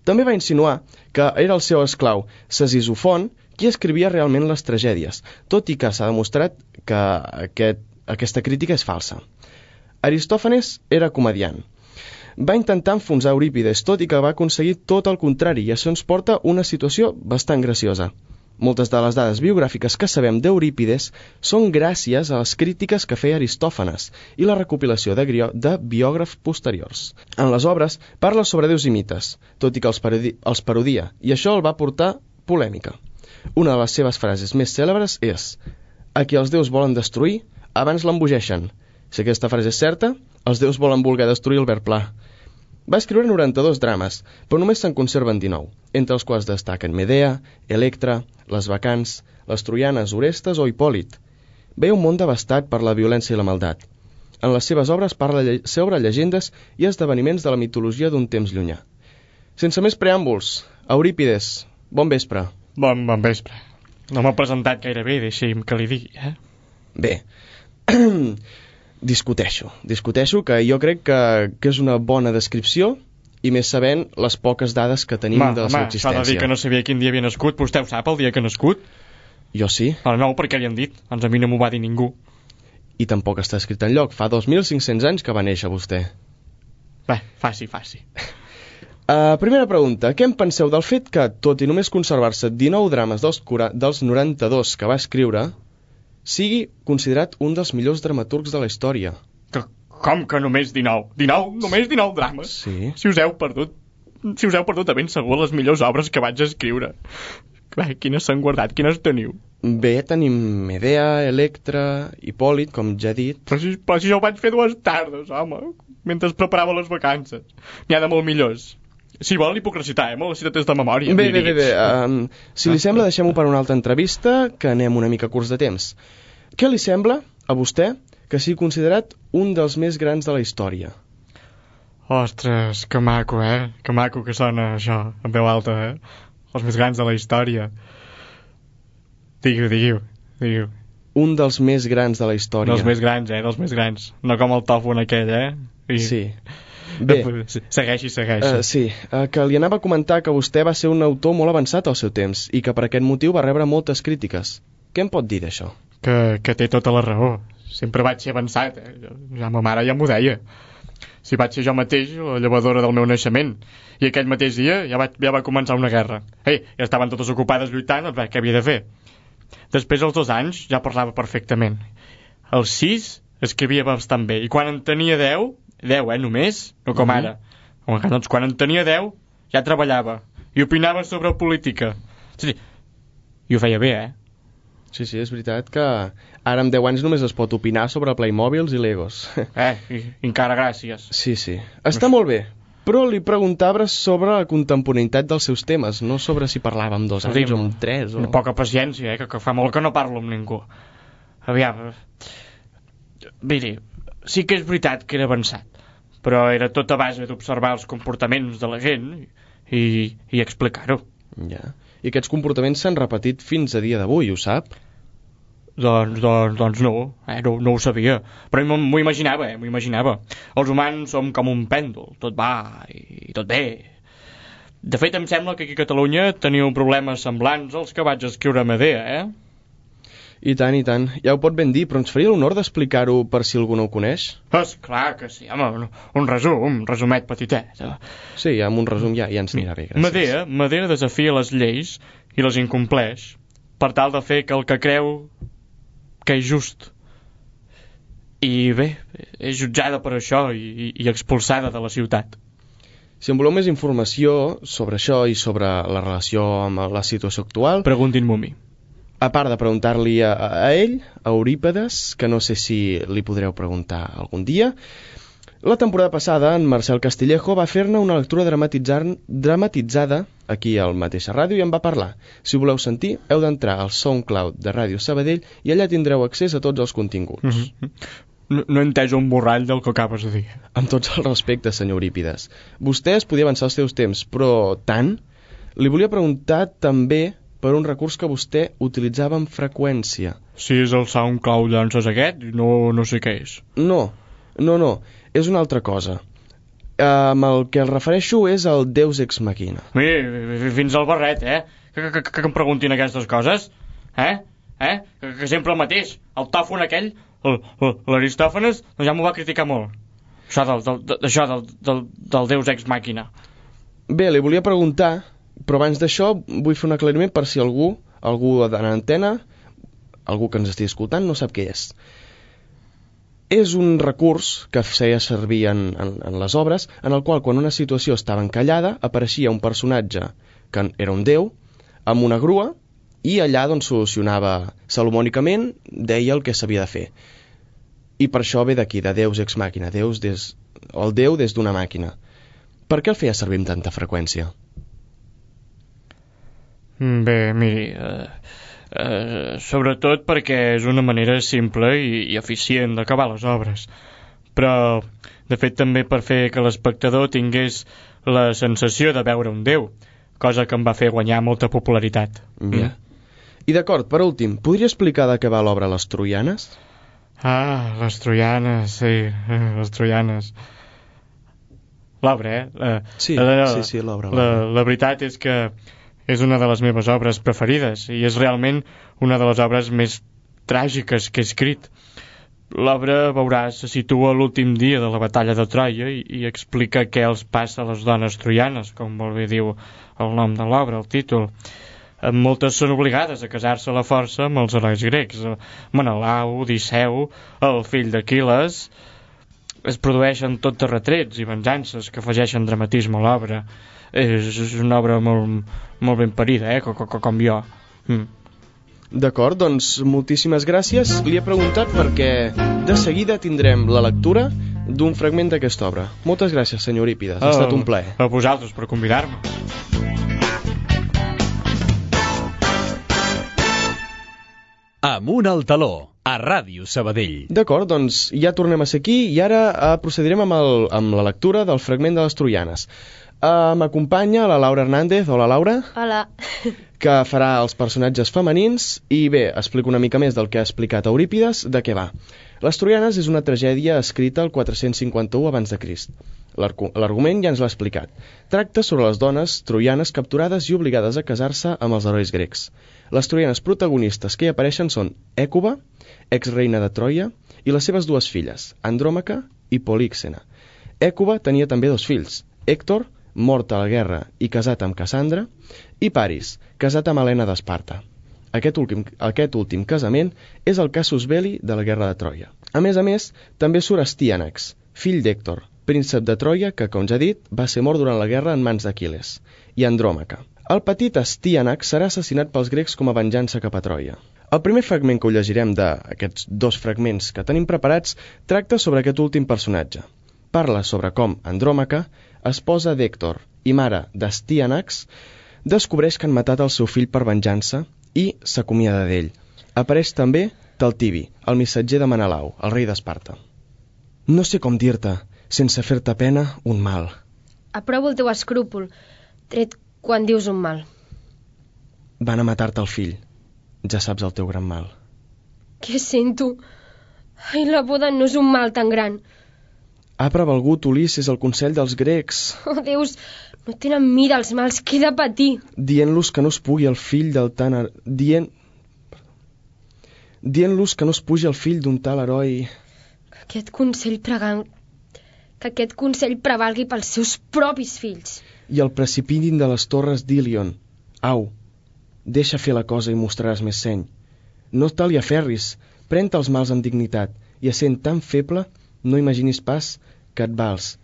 També va insinuar que era el seu esclau, Cesisofont, qui escrivia realment les tragèdies, tot i que s'ha demostrat que aquest, aquesta crítica és falsa. Aristòfanes era comediant. Va intentar enfonsar Eurípides, tot i que va aconseguir tot el contrari, i això ens porta una situació bastant graciosa. Moltes de les dades biogràfiques que sabem d'Eurípides són gràcies a les crítiques que feia Aristòfanes i la recopilació de, de biògrafs posteriors. En les obres parla sobre déus i mites, tot i que els, parodi els parodia, i això el va portar polèmica. Una de les seves frases més cèlebres és: a qui els déus volen destruir, abans l'embogeixen. Si aquesta frase és certa, els déus volen voler destruir el ver pla. Va escriure noranta-dos drames, però només se'n conserven dinou, entre els quals destaquen Medea, Electra, les Bacants, les Troianes, Orestes o Hipòlit. Veia un món devastat per la violència i la maldat. En les seves obres parla sobre llegendes i esdeveniments de la mitologia d'un temps llunyà. Sense més preàmbuls, Eurípides, bon vespre. Bon, bon vespre. No m'ha presentat gaire bé, deixi'm que li digui, eh? Bé, discuteixo, discuteixo que jo crec que, que és una bona descripció, i més sabent les poques dades que tenim ma, de la seva existència. S'ha de dir que no sabia quin dia havia nascut, vostè ho sap, el dia que ha nascut? Jo sí. Ah, no, perquè li han dit, doncs a mi no m'ho va dir ningú. I tampoc està escrit enlloc, fa dos mil cinc-cents anys que va néixer vostè. Bé, faci, faci. Uh, primera pregunta, què en penseu del fet que, tot i només conservar-se dinou drames dels, dels noranta-dos que va escriure, sigui considerat un dels millors dramaturgs de la història? Que, Com que només dinou? dinou? Només dinou drames? Sí. Si us heu perdut, si us heu perdut de ben segur les millors obres que vaig escriure. Bé, quines s'han guardat? Quines teniu? Bé, tenim Medea, Electra, Hipòlit, com ja he dit. Però si, però si jo ho vaig fer dues tardes, home, mentre preparava les vacances. N'hi ha de molt millors. Si vol, li puc recitar, eh? Me la citat és de memòria. Bé, bé, bé, bé. Um, si li sembla, deixem-ho per una altra entrevista, que anem una mica curts de temps. Què li sembla, a vostè, que sigui considerat un dels més grans de la història? Ostres, que maco, eh? Que maco que sona això, en veu alta, eh? Els més grans de la història. Diguiu, diguiu, diguiu. Un dels més grans de la història. Dels més grans, eh? Dels més grans. No com el tofu en aquell, eh? I... Sí. Bé. Segueixi, segueixi. Uh, sí, uh, que li anava a comentar que vostè va ser un autor molt avançat al seu temps i que per aquest motiu va rebre moltes crítiques. Què em pot dir d'això? Que, que té tota la raó. Sempre vaig ser avançat, eh? Ja ma mare ja m'ho deia. Si vaig ser jo mateix la llevadora del meu naixement. I aquell mateix dia ja va, ja va començar una guerra. Ei, ja estaven totes ocupades lluitant, doncs, què havia de fer? Després, als dos anys, ja parlava perfectament. Als sis, escrivia bastant bé. I quan en tenia deu, deu, eh, només, no com ara. Home, doncs quan en tenia deu, ja treballava. I opinava sobre política. Sí, i ho feia bé, eh? Sí, sí, és veritat que ara amb deu anys només es pot opinar sobre Playmobils i Legos. Eh, i, encara gràcies. Sí, sí. Està molt bé, però li preguntava sobre la contemporaneïtat dels seus temes, no sobre si parlava amb dos anys o amb tres. O... Poca paciència, eh, que, que fa molt que no parlo amb ningú. Aviam, miri, sí que és veritat que era avançat, però era tot a base d'observar els comportaments de la gent i, i explicar-ho. Ja. I aquests comportaments s'han repetit fins a dia d'avui, ho sap? Doncs, doncs, doncs no, eh? no, no ho sabia. Però m'ho imaginava, eh? m'ho imaginava. Els humans som com un pèndol, tot va i tot bé. De fet, em sembla que aquí a Catalunya teniu problemes semblants als que vaig escriure a Medea, eh? I tant, i tant. Ja ho pot ben dir, però ens faria l'honor d'explicar-ho per si algú no ho coneix? És clar que sí, home, un resum, un resumet petitet. Sí, amb un resum ja, ja ens anirà bé, gràcies. Medea, Medea desafia les lleis i les incompleix per tal de fer que el que creu que és just. I bé, és jutjada per això i, i expulsada de la ciutat. Si en voleu més informació sobre això i sobre la relació amb la situació actual... Preguntin-m'ho a mi. A part de preguntar-li a, a ell, a Eurípedes, que no sé si li podreu preguntar algun dia, la temporada passada en Marcel Castillejo va fer-ne una lectura dramatitzada aquí al mateixa ràdio i en va parlar. Si voleu sentir, heu d'entrar al SoundCloud de Ràdio Sabadell i allà tindreu accés a tots els continguts. Mm-hmm. No, no he entès un borrall del que acabes de dir. Amb tots els respectes, senyor Eurípides. Vostè es podia avançar els seus temps, però tant? Li volia preguntar també per un recurs que vostè utilitzava amb freqüència. Si és el SoundCloud llances aquest, no, no sé què és. No, no, no, és una altra cosa. Amb el que el refereixo és el Deus Ex Machina. Miri, fins al barret, eh? Que, que, que, que em preguntin aquestes coses? Eh? Eh? Que, que sempre el mateix. El tòfon aquell, l'Aristòfanes, doncs ja m'ho va criticar molt. Això del, del, del, això del, del, del Deus Ex Machina. Bé, li volia preguntar... Però abans d'això vull fer un aclariment per si algú, algú de l'antena, algú que ens estigui escoltant, no sap què és. És un recurs que feia servir en, en, en les obres, en el qual quan una situació estava encallada apareixia un personatge que era un déu, amb una grua, i allà doncs solucionava salomònicament, deia el que s'havia de fer. I per això ve d'aquí, de Deus Ex Machina, Deus des, el Déu des d'una màquina. Per què el feia servir amb tanta freqüència? Bé, miri, eh, eh, sobretot perquè és una manera simple i, i eficient d'acabar les obres. Però, de fet, també per fer que l'espectador tingués la sensació de veure un déu, cosa que em va fer guanyar molta popularitat. Ja. Mm. I d'acord, per últim, podria explicar de què va l'obra Les Troianes? Ah, les Troianes, sí, les Troianes. L'obra, eh? La, sí, la, la, sí, sí, l'obra. La, la veritat és que és una de les meves obres preferides i és realment una de les obres més tràgiques que he escrit. L'obra, veuràs, se situa a l'últim dia de la batalla de Troia i, i explica què els passa a les dones troianes, com molt bé diu el nom de l'obra, el títol. Moltes són obligades a casar-se a la força amb els herois grecs, Menelau, Odisseu, el fill d'Aquil·les, es produeixen tot de retrets i venjances que afegeixen dramatisme a l'obra. És, és una obra molt, molt ben parida, eh? com, com, com jo. Mm. D'acord, doncs moltíssimes gràcies. Li he preguntat perquè de seguida tindrem la lectura d'un fragment d'aquesta obra. Moltes gràcies, senyor Eurípides, ha oh, estat un plaer. A vosaltres per convidar-me. Amunt al taló, a Ràdio Sabadell. D'acord, doncs ja tornem a ser aquí i ara eh, procedirem amb, el, amb la lectura del fragment de les troianes. Uh, M'acompanya la Laura Hernández. Hola, Laura. Hola. Que farà els personatges femenins i bé, explico una mica més del que ha explicat Eurípides, de què va. Les troianes és una tragèdia escrita al quatre-cents cinquanta-u abans de Crist. L'argument ja ens l'ha explicat. Tracta sobre les dones troianes capturades i obligades a casar-se amb els herois grecs. Les troianes protagonistes que hi apareixen són Ècuba, exreina de Troia, i les seves dues filles, Andròmaca i Políxena. Ècuba tenia també dos fills, Hèctor, mort a la guerra i casat amb Cassandra, i Paris, casat amb Helena d'Esparta. Aquest últim, aquest últim casament és el casus belli de la guerra de Troia. A més a més, també surt Astíanax, fill d'Hèctor, príncep de Troia que, com ja he dit, va ser mort durant la guerra en mans d'Aquil·les, i Andròmaca. El petit Astíanax serà assassinat pels grecs com a venjança cap a Troia. El primer fragment que ho llegirem d'aquests dos fragments que tenim preparats tracta sobre aquest últim personatge. Parla sobre com Andròmaca, esposa d'Hèctor i mare d'Astíanax, descobreix que han matat el seu fill per venjança i s'acomiada d'ell. Apareix també Taltibi, el missatger de Menelau, el rei d'Esparta. No sé com dir-te, sense fer-te pena, un mal. Aprovo el teu escrúpol, tret quan dius un mal. Van a matar-te el fill. Ja saps el teu gran mal. Què sento? Ai, la boda no és un mal tan gran. Ha prevalgut Ulisses el consell dels grecs. Oh, Déus, no tenen mira els mals que he de patir. Dient-los que no es pugui el fill del tan... Her... Dient... Dient-los que no es pugi el fill d'un tal heroi. Que aquest consell pregan... Que aquest consell prevalgui pels seus propis fills. I el precipitin de les torres d'Ilion. Au, deixa fer la cosa i mostraràs més seny. No te li aferris, pren-te els mals amb dignitat, i essent tan feble, no imaginis pas que et vals,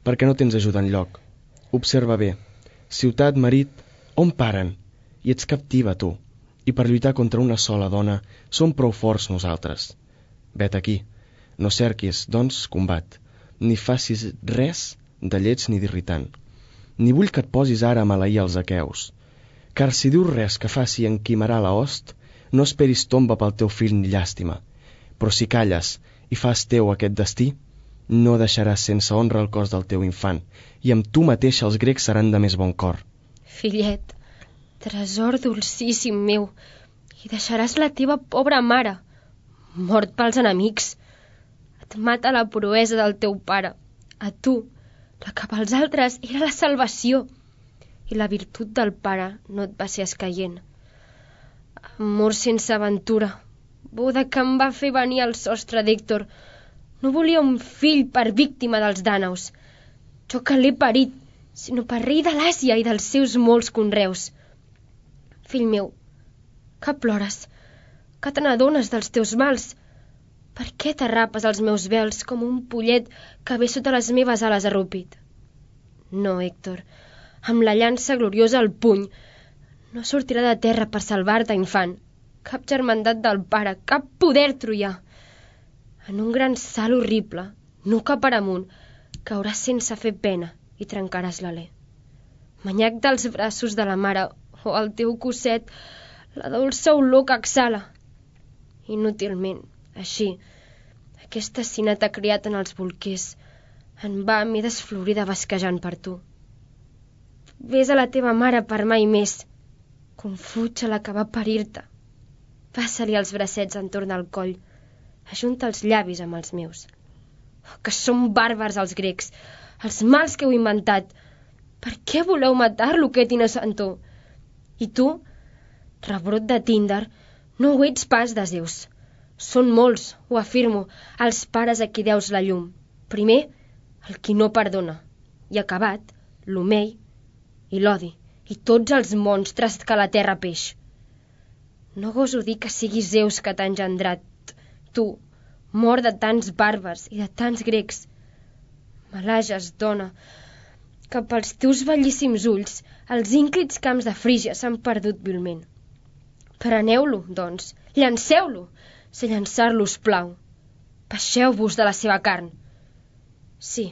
perquè no tens ajuda enlloc. Observa bé, ciutat, marit, on paren? I ets captiva, tu, i per lluitar contra una sola dona som prou forts nosaltres. Vet aquí, no cerquis, doncs, combat, ni facis res de lleig ni d'irritant, ni vull que et posis ara a maleir els aqueus, car si dius res que faci enquimarà la host, no esperis tomba pel teu fill ni llàstima, però si calles i fas teu aquest destí, no deixaràs sense honra el cos del teu infant, i amb tu mateixa els grecs seran de més bon cor. Fillet, tresor dolcíssim meu, i deixaràs la teva pobra mare, mort pels enemics. Et mata la proesa del teu pare, a tu, la que pels altres era la salvació, i la virtut del pare no et va ser escaient. Amor sense aventura, boda que em va fer venir al sostre d'Hèctor. No volia un fill per víctima dels dànaus. Jo que l'he parit, sinó per rei de l'Àsia i dels seus molts conreus. Fill meu, que plores, que te n'adones dels teus mals. Per què t'arrapes els meus vels com un pollet que ve sota les meves ales arrupit? No, Hèctor, amb la llança gloriosa al puny, no sortirà de terra per salvar-te, infant. Cap germandat del pare, cap poder troià. En un gran salt horrible, nu cap per amunt, cauràs sense fer pena i trencaràs l'alè. Manyac dels braços de la mare o al teu cosset la dolça olor que exhala. Inútilment, així, aquesta sina t'ha criat en els bolquers. En va m'he desflorida basquejant per tu. Ves a la teva mare per mai més. Confuig a la que va parir-te. Passa-li els bracets entorn del coll. Ajunta els llavis amb els meus. Oh, que són bàrbars els grecs, els mals que heu inventat. Per què voleu matar-lo, aquest innocentor? I tu, rebrot de Tíndar, no ho ets pas de Zeus. Són molts, ho afirmo, els pares a qui deus la llum. Primer, el qui no perdona, i acabat, l'omei i l'odi, i tots els monstres que la terra peix. No goso dir que siguis Zeus que t'ha engendrat, tu, mort de tants bàrbars i de tants grecs. Malages, dona, que pels teus bellíssims ulls els ínclits camps de Frígia s'han perdut vilment. Preneu-lo, doncs, llanceu-lo, si llançar-lo us plau. Baixeu-vos de la seva carn. Sí,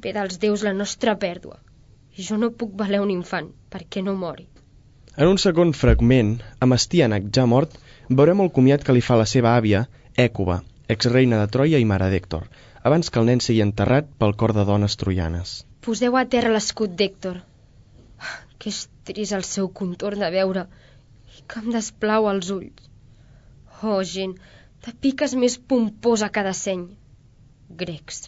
ve dels déus la nostra pèrdua, i jo no puc valer un infant perquè no mori. En un segon fragment, amb Estíanac ja mort, veurem el comiat que li fa la seva àvia, Ècuba, exreina de Troia i mare d'Hèctor, abans que el nen sigui enterrat pel cor de dones troianes. Poseu a terra l'escut d'Hèctor, que és trist el seu contorn de veure i que em desplau als ulls. Oh, gent, de piques més pomposa cada seny. Grecs,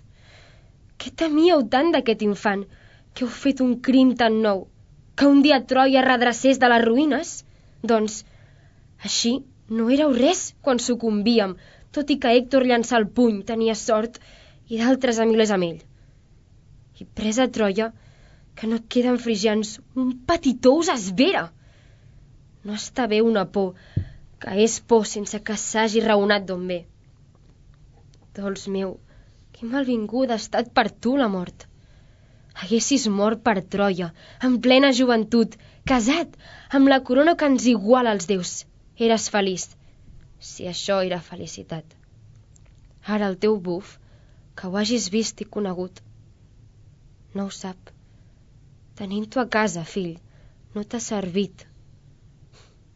què temíeu tant d'aquest infant, que heu fet un crim tan nou, que un dia Troia redrecés de les ruïnes? Doncs, així no éreu res quan sucumbíem, tot i que Hèctor llançà el puny, tenia sort, i d'altres a milers amb ell. I presa a Troia, que no et queden frigians, un petitó us esvera. No està bé una por, que és por sense que s'hagi raonat d'on ve. Dols meu, que malvinguda ha estat per tu la mort. Haguessis mort per Troia, en plena joventut, casat, amb la corona que ens iguala als déus. Eres feliç, si això era felicitat. Ara el teu buf, que ho hagis vist i conegut, no ho sap. Tenint-ho a casa, fill, no t'ha servit.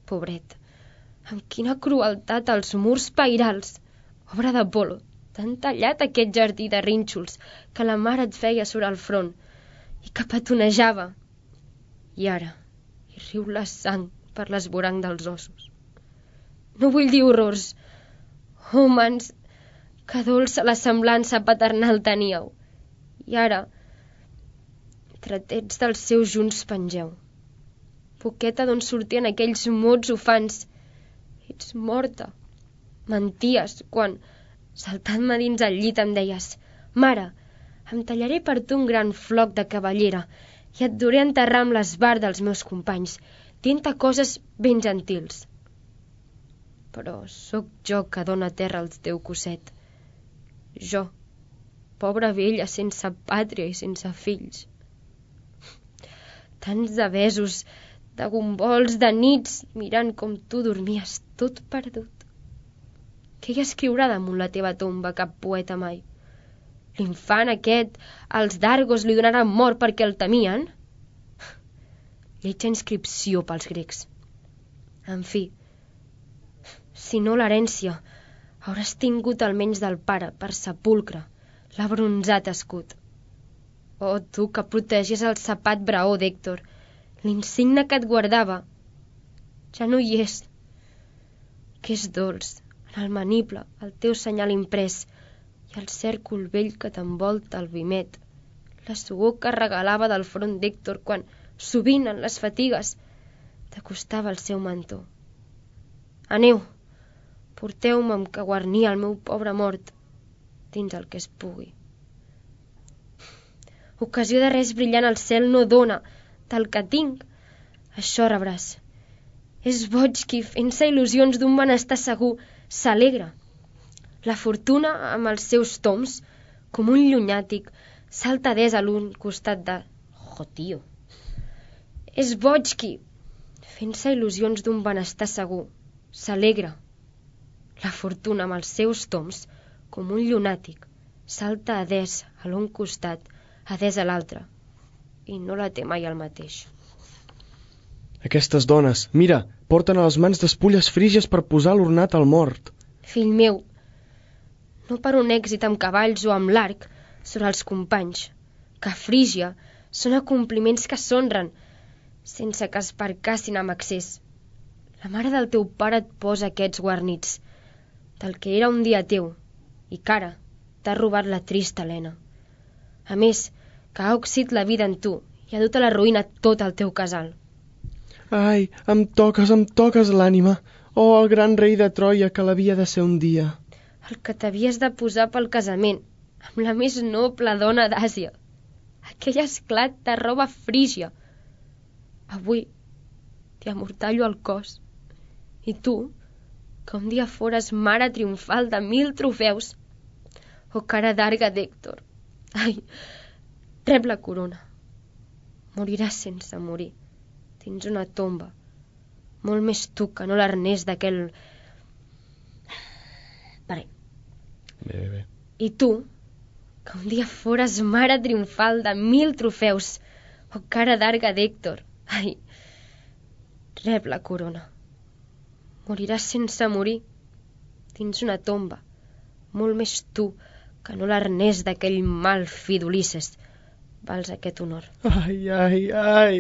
Pobret, amb quina crueltat els murs pairals, obra d'Apolo, t'han tallat aquest jardí de rínxols que la mare et feia sobre el front i que petonejava. I ara hi riu la sang per l'esvoranc dels ossos. No vull dir horrors. Oh, mans, que dolça la semblança paternal teníeu. I ara, tretets dels seus junts pengeu. Poqueta d'on sortien aquells mots ufans. Ets morta. Menties quan, saltant-me dins el llit, em deies: mare, em tallaré per tu un gran floc de cavallera i et duré enterrar amb l'esbar dels meus companys, dient-te coses ben gentils. Però sóc jo que dóna terra al teu cosset. Jo, pobra vella sense pàtria i sense fills. Tants de besos, de gombols, de nits, mirant com tu dormies tot perdut. Què hi escriurà damunt la teva tomba cap poeta mai? L'infant aquest, els d'Argos li donaran mort perquè el temien? Lletja inscripció pels grecs. En fi, si no l'herència, hauràs tingut almenys del pare per sepulcre l'abronzat escut. Oh, tu que protegies el sapat braó d'Hèctor, l'insigne que et guardava, ja no hi és. Que és dolç, en el maniple, el teu senyal imprès, i el cèrcol vell que t'envolta el vimet, la suor que regalava del front d'Hèctor quan, sovint en les fatigues, t'acostava el seu mantó. Aneu, porteu-me amb que guarnia el meu pobre mort, dins el que es pugui. Ocasió de res brillant al cel no dona, del que tinc, això rebràs. És boig qui, fent-se il·lusions d'un benestar segur, s'alegra. La fortuna, amb els seus toms, com un llunàtic, salta des a l'un costat de... Jo, tio. És boig qui, fent-se il·lusions d'un benestar segur, s'alegra. La fortuna, amb els seus toms, com un llunàtic, salta a des a l'un costat, a des a l'altre, i no la té mai el mateix. Aquestes dones, mira, porten a les mans despulles frígies per posar l'ornat al mort. Fill meu, no per un èxit amb cavalls o amb l'arc sobre els companys, que a Frígia són acompliments que s'honren, sense que es percassin amb excés. La mare del teu pare et posa aquests guarnits, del que era un dia teu, i que ara t'ha robat la trista Helena. A més, que ha oxit la vida en tu i ha dut a la ruïna tot el teu casal. Ai, em toques, em toques l'ànima. Oh, el gran rei de Troia que l'havia de ser un dia. El que t'havies de posar pel casament, amb la més noble dona d'Àsia. Aquell esclat de roba frígia. Avui t'hi amortallo el cos. I tu, que un dia fores mare triomfal de mil trofeus, o cara d'arga d'Hèctor, Ai, rep la corona. Moriràs sense morir. Dins una tomba. Molt més tu que no l'arnès d'aquell... Vale. Bé, bé, bé. I tu, que un dia fores mare triomfal de mil trofeus, o cara d'arga d'Hèctor. Ai, rep la corona. Moriràs sense morir, dins una tomba. Molt més tu que no l'arnès d'aquell mal fill d'Ulisses. Vals aquest honor. Ai, ai, ai,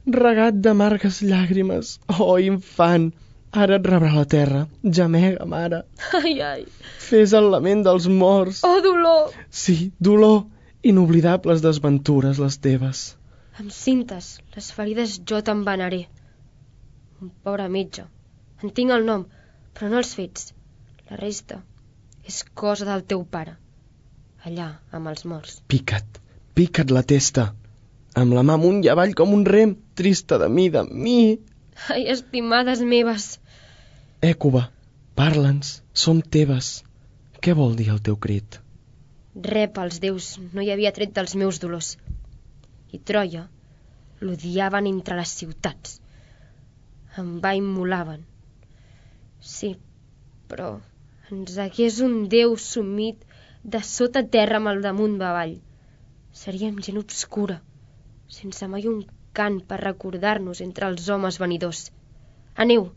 regat d'amargues llàgrimes. Oh, infant, ara et rebrà la terra. Gemega, mare. Ai, ai. Fes el lament dels morts. Oh, dolor. Sí, dolor. Inoblidables desventures les teves. Amb cintes, les ferides jo t'envenaré. Un pobre metge. En tinc el nom, però no els fets. La resta és cosa del teu pare. Allà, amb els morts. Pica't, pica't la testa. Amb la mà amunt i avall com un rem, trista de mi, de mi. Ai, estimades meves. Ècuba, parla'ns, som teves. Què vol dir el teu crit? Rep als déus no hi havia tret dels meus dolors. I Troia l'odiaven entre les ciutats. Em va immolaven. Sí, però ens hagués un déu sumit de sota terra amb el damunt avall. Seríem gent obscura, sense mai un cant per recordar-nos entre els homes venidors. Aneu,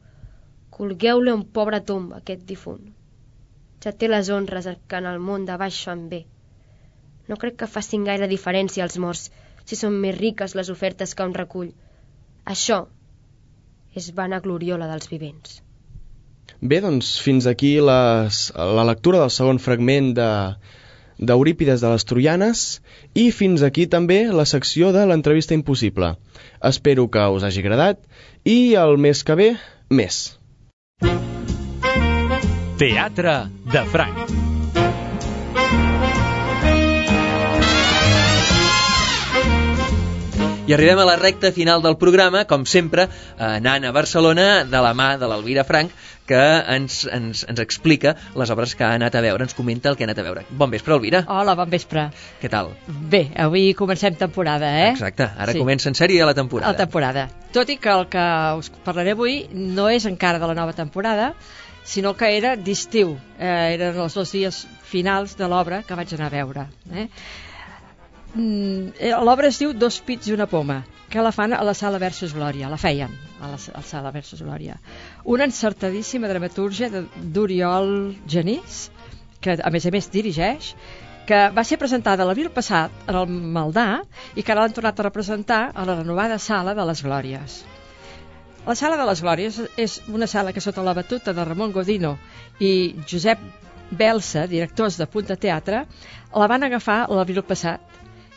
colgueu-li un pobre tomba, aquest difunt. Ja té les honres que en el món de baix fan bé. No crec que facin gaire diferència als morts, si són més riques les ofertes que un recull. Això és vana gloriola dels vivents. Bé, doncs fins aquí les, la lectura del segon fragment de d'Eurípides de les Troianes i fins aquí també la secció de l'entrevista impossible. Espero que us hagi agradat i el mes que ve, més. Teatre de Franc. I arribem a la recta final del programa, com sempre, anant a Barcelona de la mà de l'Elvira Frank, que ens, ens, ens explica les obres que ha anat a veure, ens comenta el que ha anat a veure. Bon vespre, Elvira. Hola, bon vespre. Què tal? Bé, avui comencem temporada, eh? Exacte, ara sí. Comença en sèrie la temporada. La temporada. Tot i que el que us parlaré avui no és encara de la nova temporada, sinó que era d'estiu. Eh, eren els dos dies finals de l'obra que vaig anar a veure. Eh? L'obra es diu Dos pits i una poma, que la fan a la Sala Versus Glòria, la feien a la, a la Sala Versus Glòria. Una encertadíssima dramatúrgia d'Oriol Genís, que a més a més dirigeix, que va ser presentada l'abril passat en el Maldà i que ara l'han tornat a representar a la renovada Sala de les Glòries. La Sala de les Glòries és una sala que sota la batuta de Ramon Godino i Josep Belsa, directors de Punta Teatre, la van agafar l'abril passat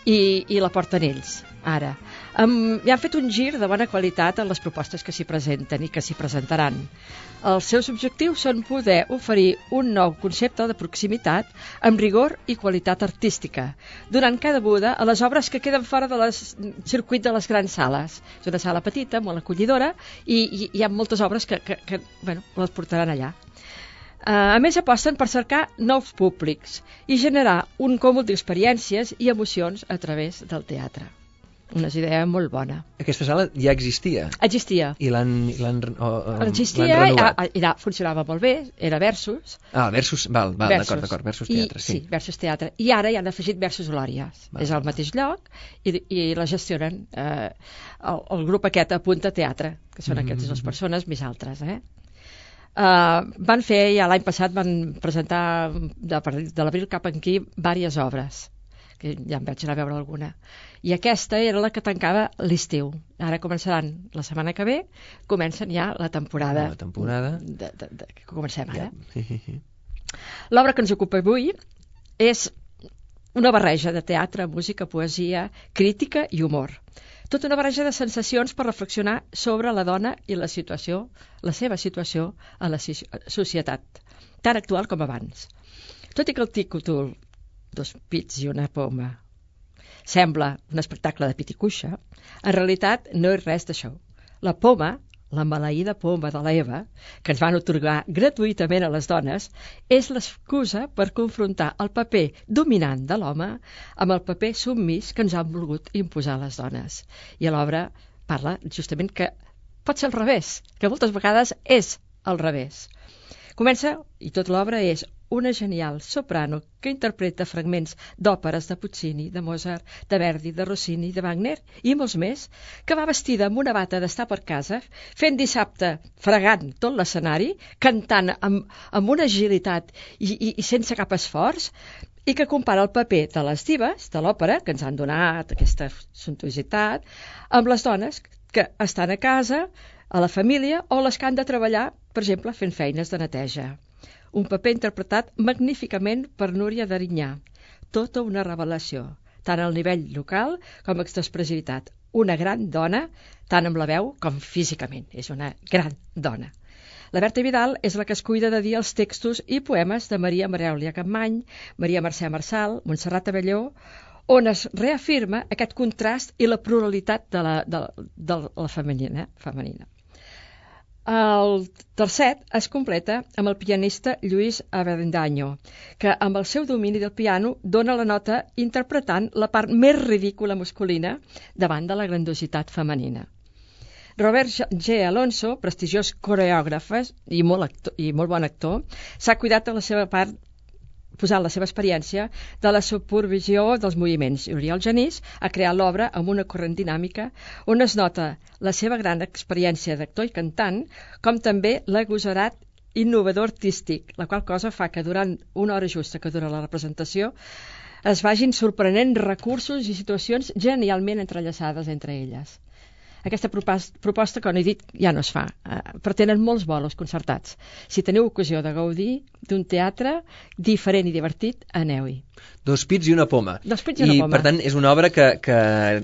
i, i la porten ells, ara. Um, I han fet un gir de bona qualitat en les propostes que s'hi presenten i que s'hi presentaran. Els seus objectius són poder oferir un nou concepte de proximitat amb rigor i qualitat artística, donant cabuda a les obres que queden fora del circuit de les grans sales. És una sala petita, molt acollidora, i, i hi ha moltes obres que, que, que bueno, les portaran allà. Uh, a més, aposten per cercar nous públics i generar un còmul d'experiències i emocions a través del teatre. Una idea molt bona. Aquesta sala ja existia? Existia. I l'han Existia, renovat? I, i funcionava molt bé, era Versus. Ah, Versus, val, val d'acord, d'acord, Versus Teatre, I, sí. Sí, Versus Teatre. I ara hi han afegit Versus Glòries. Val. És al mateix lloc i, i la gestionen eh, el, el grup aquest a Punta Teatre, que són mm-hmm. aquestes dues persones més altres, eh? Uh, van fer, ja l'any passat van presentar de, de l'abril cap aquí diverses obres, que ja em vaig anar a veure alguna, i aquesta era la que tancava l'estiu. Ara començaran la setmana que ve, comencen ja la temporada, la temporada. De, de, de, que comencem ara. L'obra que ens ocupa avui és una barreja de teatre, música, poesia, crítica i humor. Tota una barreja de sensacions per reflexionar sobre la dona i la situació, la seva situació a la societat, tan actual com abans. Tot i que el títol Dos pits i una poma sembla un espectacle de pit i cuixa, en realitat no és res d'això. La poma, la maleïda poma de l'Eva, que ens van otorgar gratuïtament a les dones, és l'excusa per confrontar el paper dominant de l'home amb el paper submís que ens han volgut imposar les dones. I a l'obra parla justament que pot ser al revés, que moltes vegades és al revés. Comença, i tot l'obra és una genial soprano que interpreta fragments d'òperes de Puccini, de Mozart, de Verdi, de Rossini, de Wagner i molts més, que va vestida amb una bata d'estar per casa, fent dissabte, fregant tot l'escenari, cantant amb, amb una agilitat i, i, i sense cap esforç, i que compara el paper de les divas de l'òpera, que ens han donat aquesta suntuositat, amb les dones que estan a casa, a la família, o les que han de treballar, per exemple, fent feines de neteja. Un paper interpretat magníficament per Núria d'Arinyà. Tota una revelació, tant al nivell local com expressivitat. Una gran dona, tant amb la veu com físicament. És una gran dona. La Berta Vidal és la que es cuida de dir els textos i poemes de Maria Marèulia Capmany, Maria Mercè Marçal, Montserrat Abelló, on es reafirma aquest contrast i la pluralitat de la, de, de la femenina. femenina. El tercet es completa amb el pianista Lluís Avendaño, que amb el seu domini del piano dona la nota interpretant la part més ridícula masculina davant de la grandiositat femenina. Robert G. Alonso, prestigiós coreògraf i molt, actor, i molt bon actor, s'ha cuidat de la seva part posant la seva experiència de la supervisió dels moviments. I Oriol Genís ha creat l'obra amb una corrent dinàmica on es nota la seva gran experiència d'actor i cantant, com també l'agosarat innovador artístic, la qual cosa fa que durant una hora justa que dura la representació es vagin sorprenent recursos i situacions genialment entrellaçades entre elles. Aquesta proposta, com he dit, ja no es fa, eh, però tenen molts bolos concertats. Si teniu ocasió de gaudir d'un teatre diferent i divertit, aneu-hi. Dos pits i una poma. Dos pits i una I, poma. per tant, és una obra que, que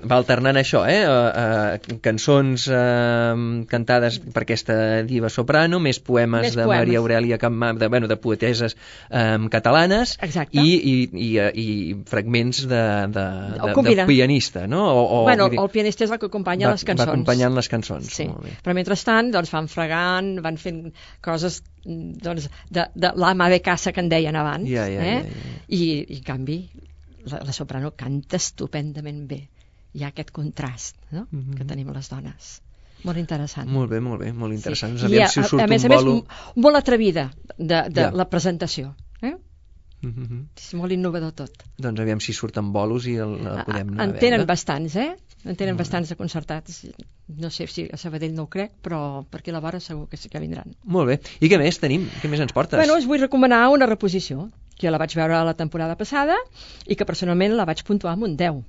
va alternant això, eh? Uh, uh, cançons uh, cantades per aquesta diva soprano, més poemes més de poemes. Maria Aurelia Capmany, de, bueno, de poeteses um, catalanes. Exacte. i, i, i, i fragments de, de, de, de pianista, no? O, o, bueno, dir, el pianista és el que acompanya va, les cançons. Va acompanyant les cançons. Sí. Però mentrestant doncs, van fregant, van fent coses doncs, de, de l'ama de casa que en deien abans. Ja, ja, eh? ja, ja. I, I, en canvi, la, la soprano canta estupendament bé. Hi ha aquest contrast, no? Mm-hmm. que tenim les dones. Molt interessant. Molt bé, molt bé, molt interessant. Sí. I a, si a, a més a bolo... més, molt atrevida de, de ja. la presentació. Eh? Mm-hmm. És molt innovador tot. Doncs aviam si surten bolos i el, el podem anar en tenen a veure. bastants, eh? En tenen mm. bastants de concertats. No sé si a Sabadell no ho crec, però per aquí a la vora segur que sí que vindran. Molt bé. I què més tenim? Què més ens portes? Bueno, us vull recomanar una reposició, que la vaig veure la temporada passada i que personalment la vaig puntuar amb un deu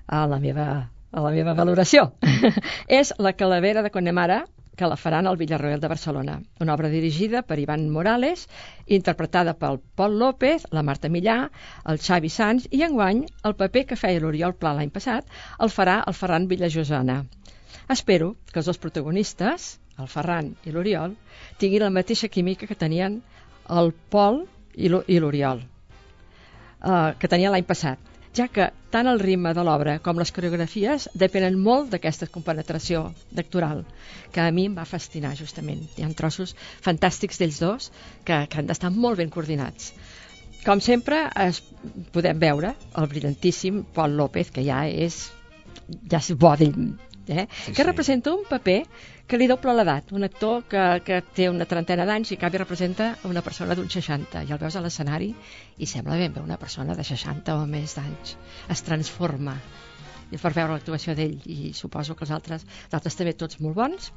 a la meva, a la meva valoració. És La Calavera de Connemara, que la faran al Villarroel de Barcelona. Una obra dirigida per Ivan Morales, interpretada pel Pol López, la Marta Millà, el Xavi Sans, i enguany el paper que feia l'Oriol Pla l'any passat el farà el Ferran Villajosana. Espero que els dos protagonistes, el Ferran i l'Oriol, tinguin la mateixa química que tenien el Pol i l'Oriol, uh, que tenien l'any passat, ja que tant el ritme de l'obra com les coreografies depenen molt d'aquesta compenetració d'actoral, que a mi em va fascinar justament. Hi ha trossos fantàstics d'ells dos que, que han d'estar molt ben coordinats. Com sempre, es, podem veure el brillantíssim Pol López, que ja és, ja és bo d'ell, eh? sí, que sí. representa un paper que li doble l'edat, un actor que, que té una trentena d'anys i que representa una persona d'un seixanta, i el veus a l'escenari i sembla ben bé una persona de seixanta o més d'anys. Es transforma i per veure l'actuació d'ell, i suposo que els altres, els altres també tots molt bons,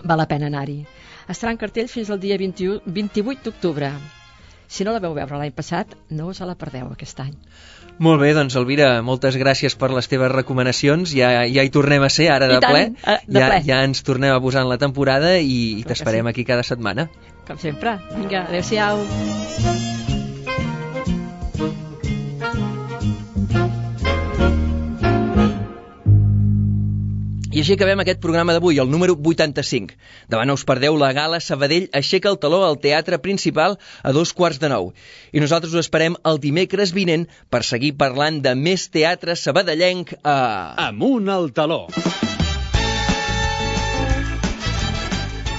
val la pena anar-hi. Estarà en cartell fins al dia vint-i-u, vint-i-vuit d'octubre. Si no la veu veure l'any passat, no us la perdeu aquest any. Molt bé, doncs Elvira, moltes gràcies per les teves recomanacions. Ja, ja hi tornem a ser ara de tant, ple. de ja, ple. Ja ens tornem a posar en la temporada i, i t'esperem sí. aquí cada setmana. Com sempre. Vinga, adéu-siau. I així acabem aquest programa d'avui, el número vuitanta-cinc. Demà no us perdeu la gala Sabadell Aixeca el Taló al Teatre Principal a dos quarts de nou. I nosaltres us esperem el dimecres vinent per seguir parlant de més teatre sabadellenc a... Amunt al taló.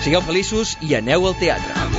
Sigueu feliços i aneu al teatre.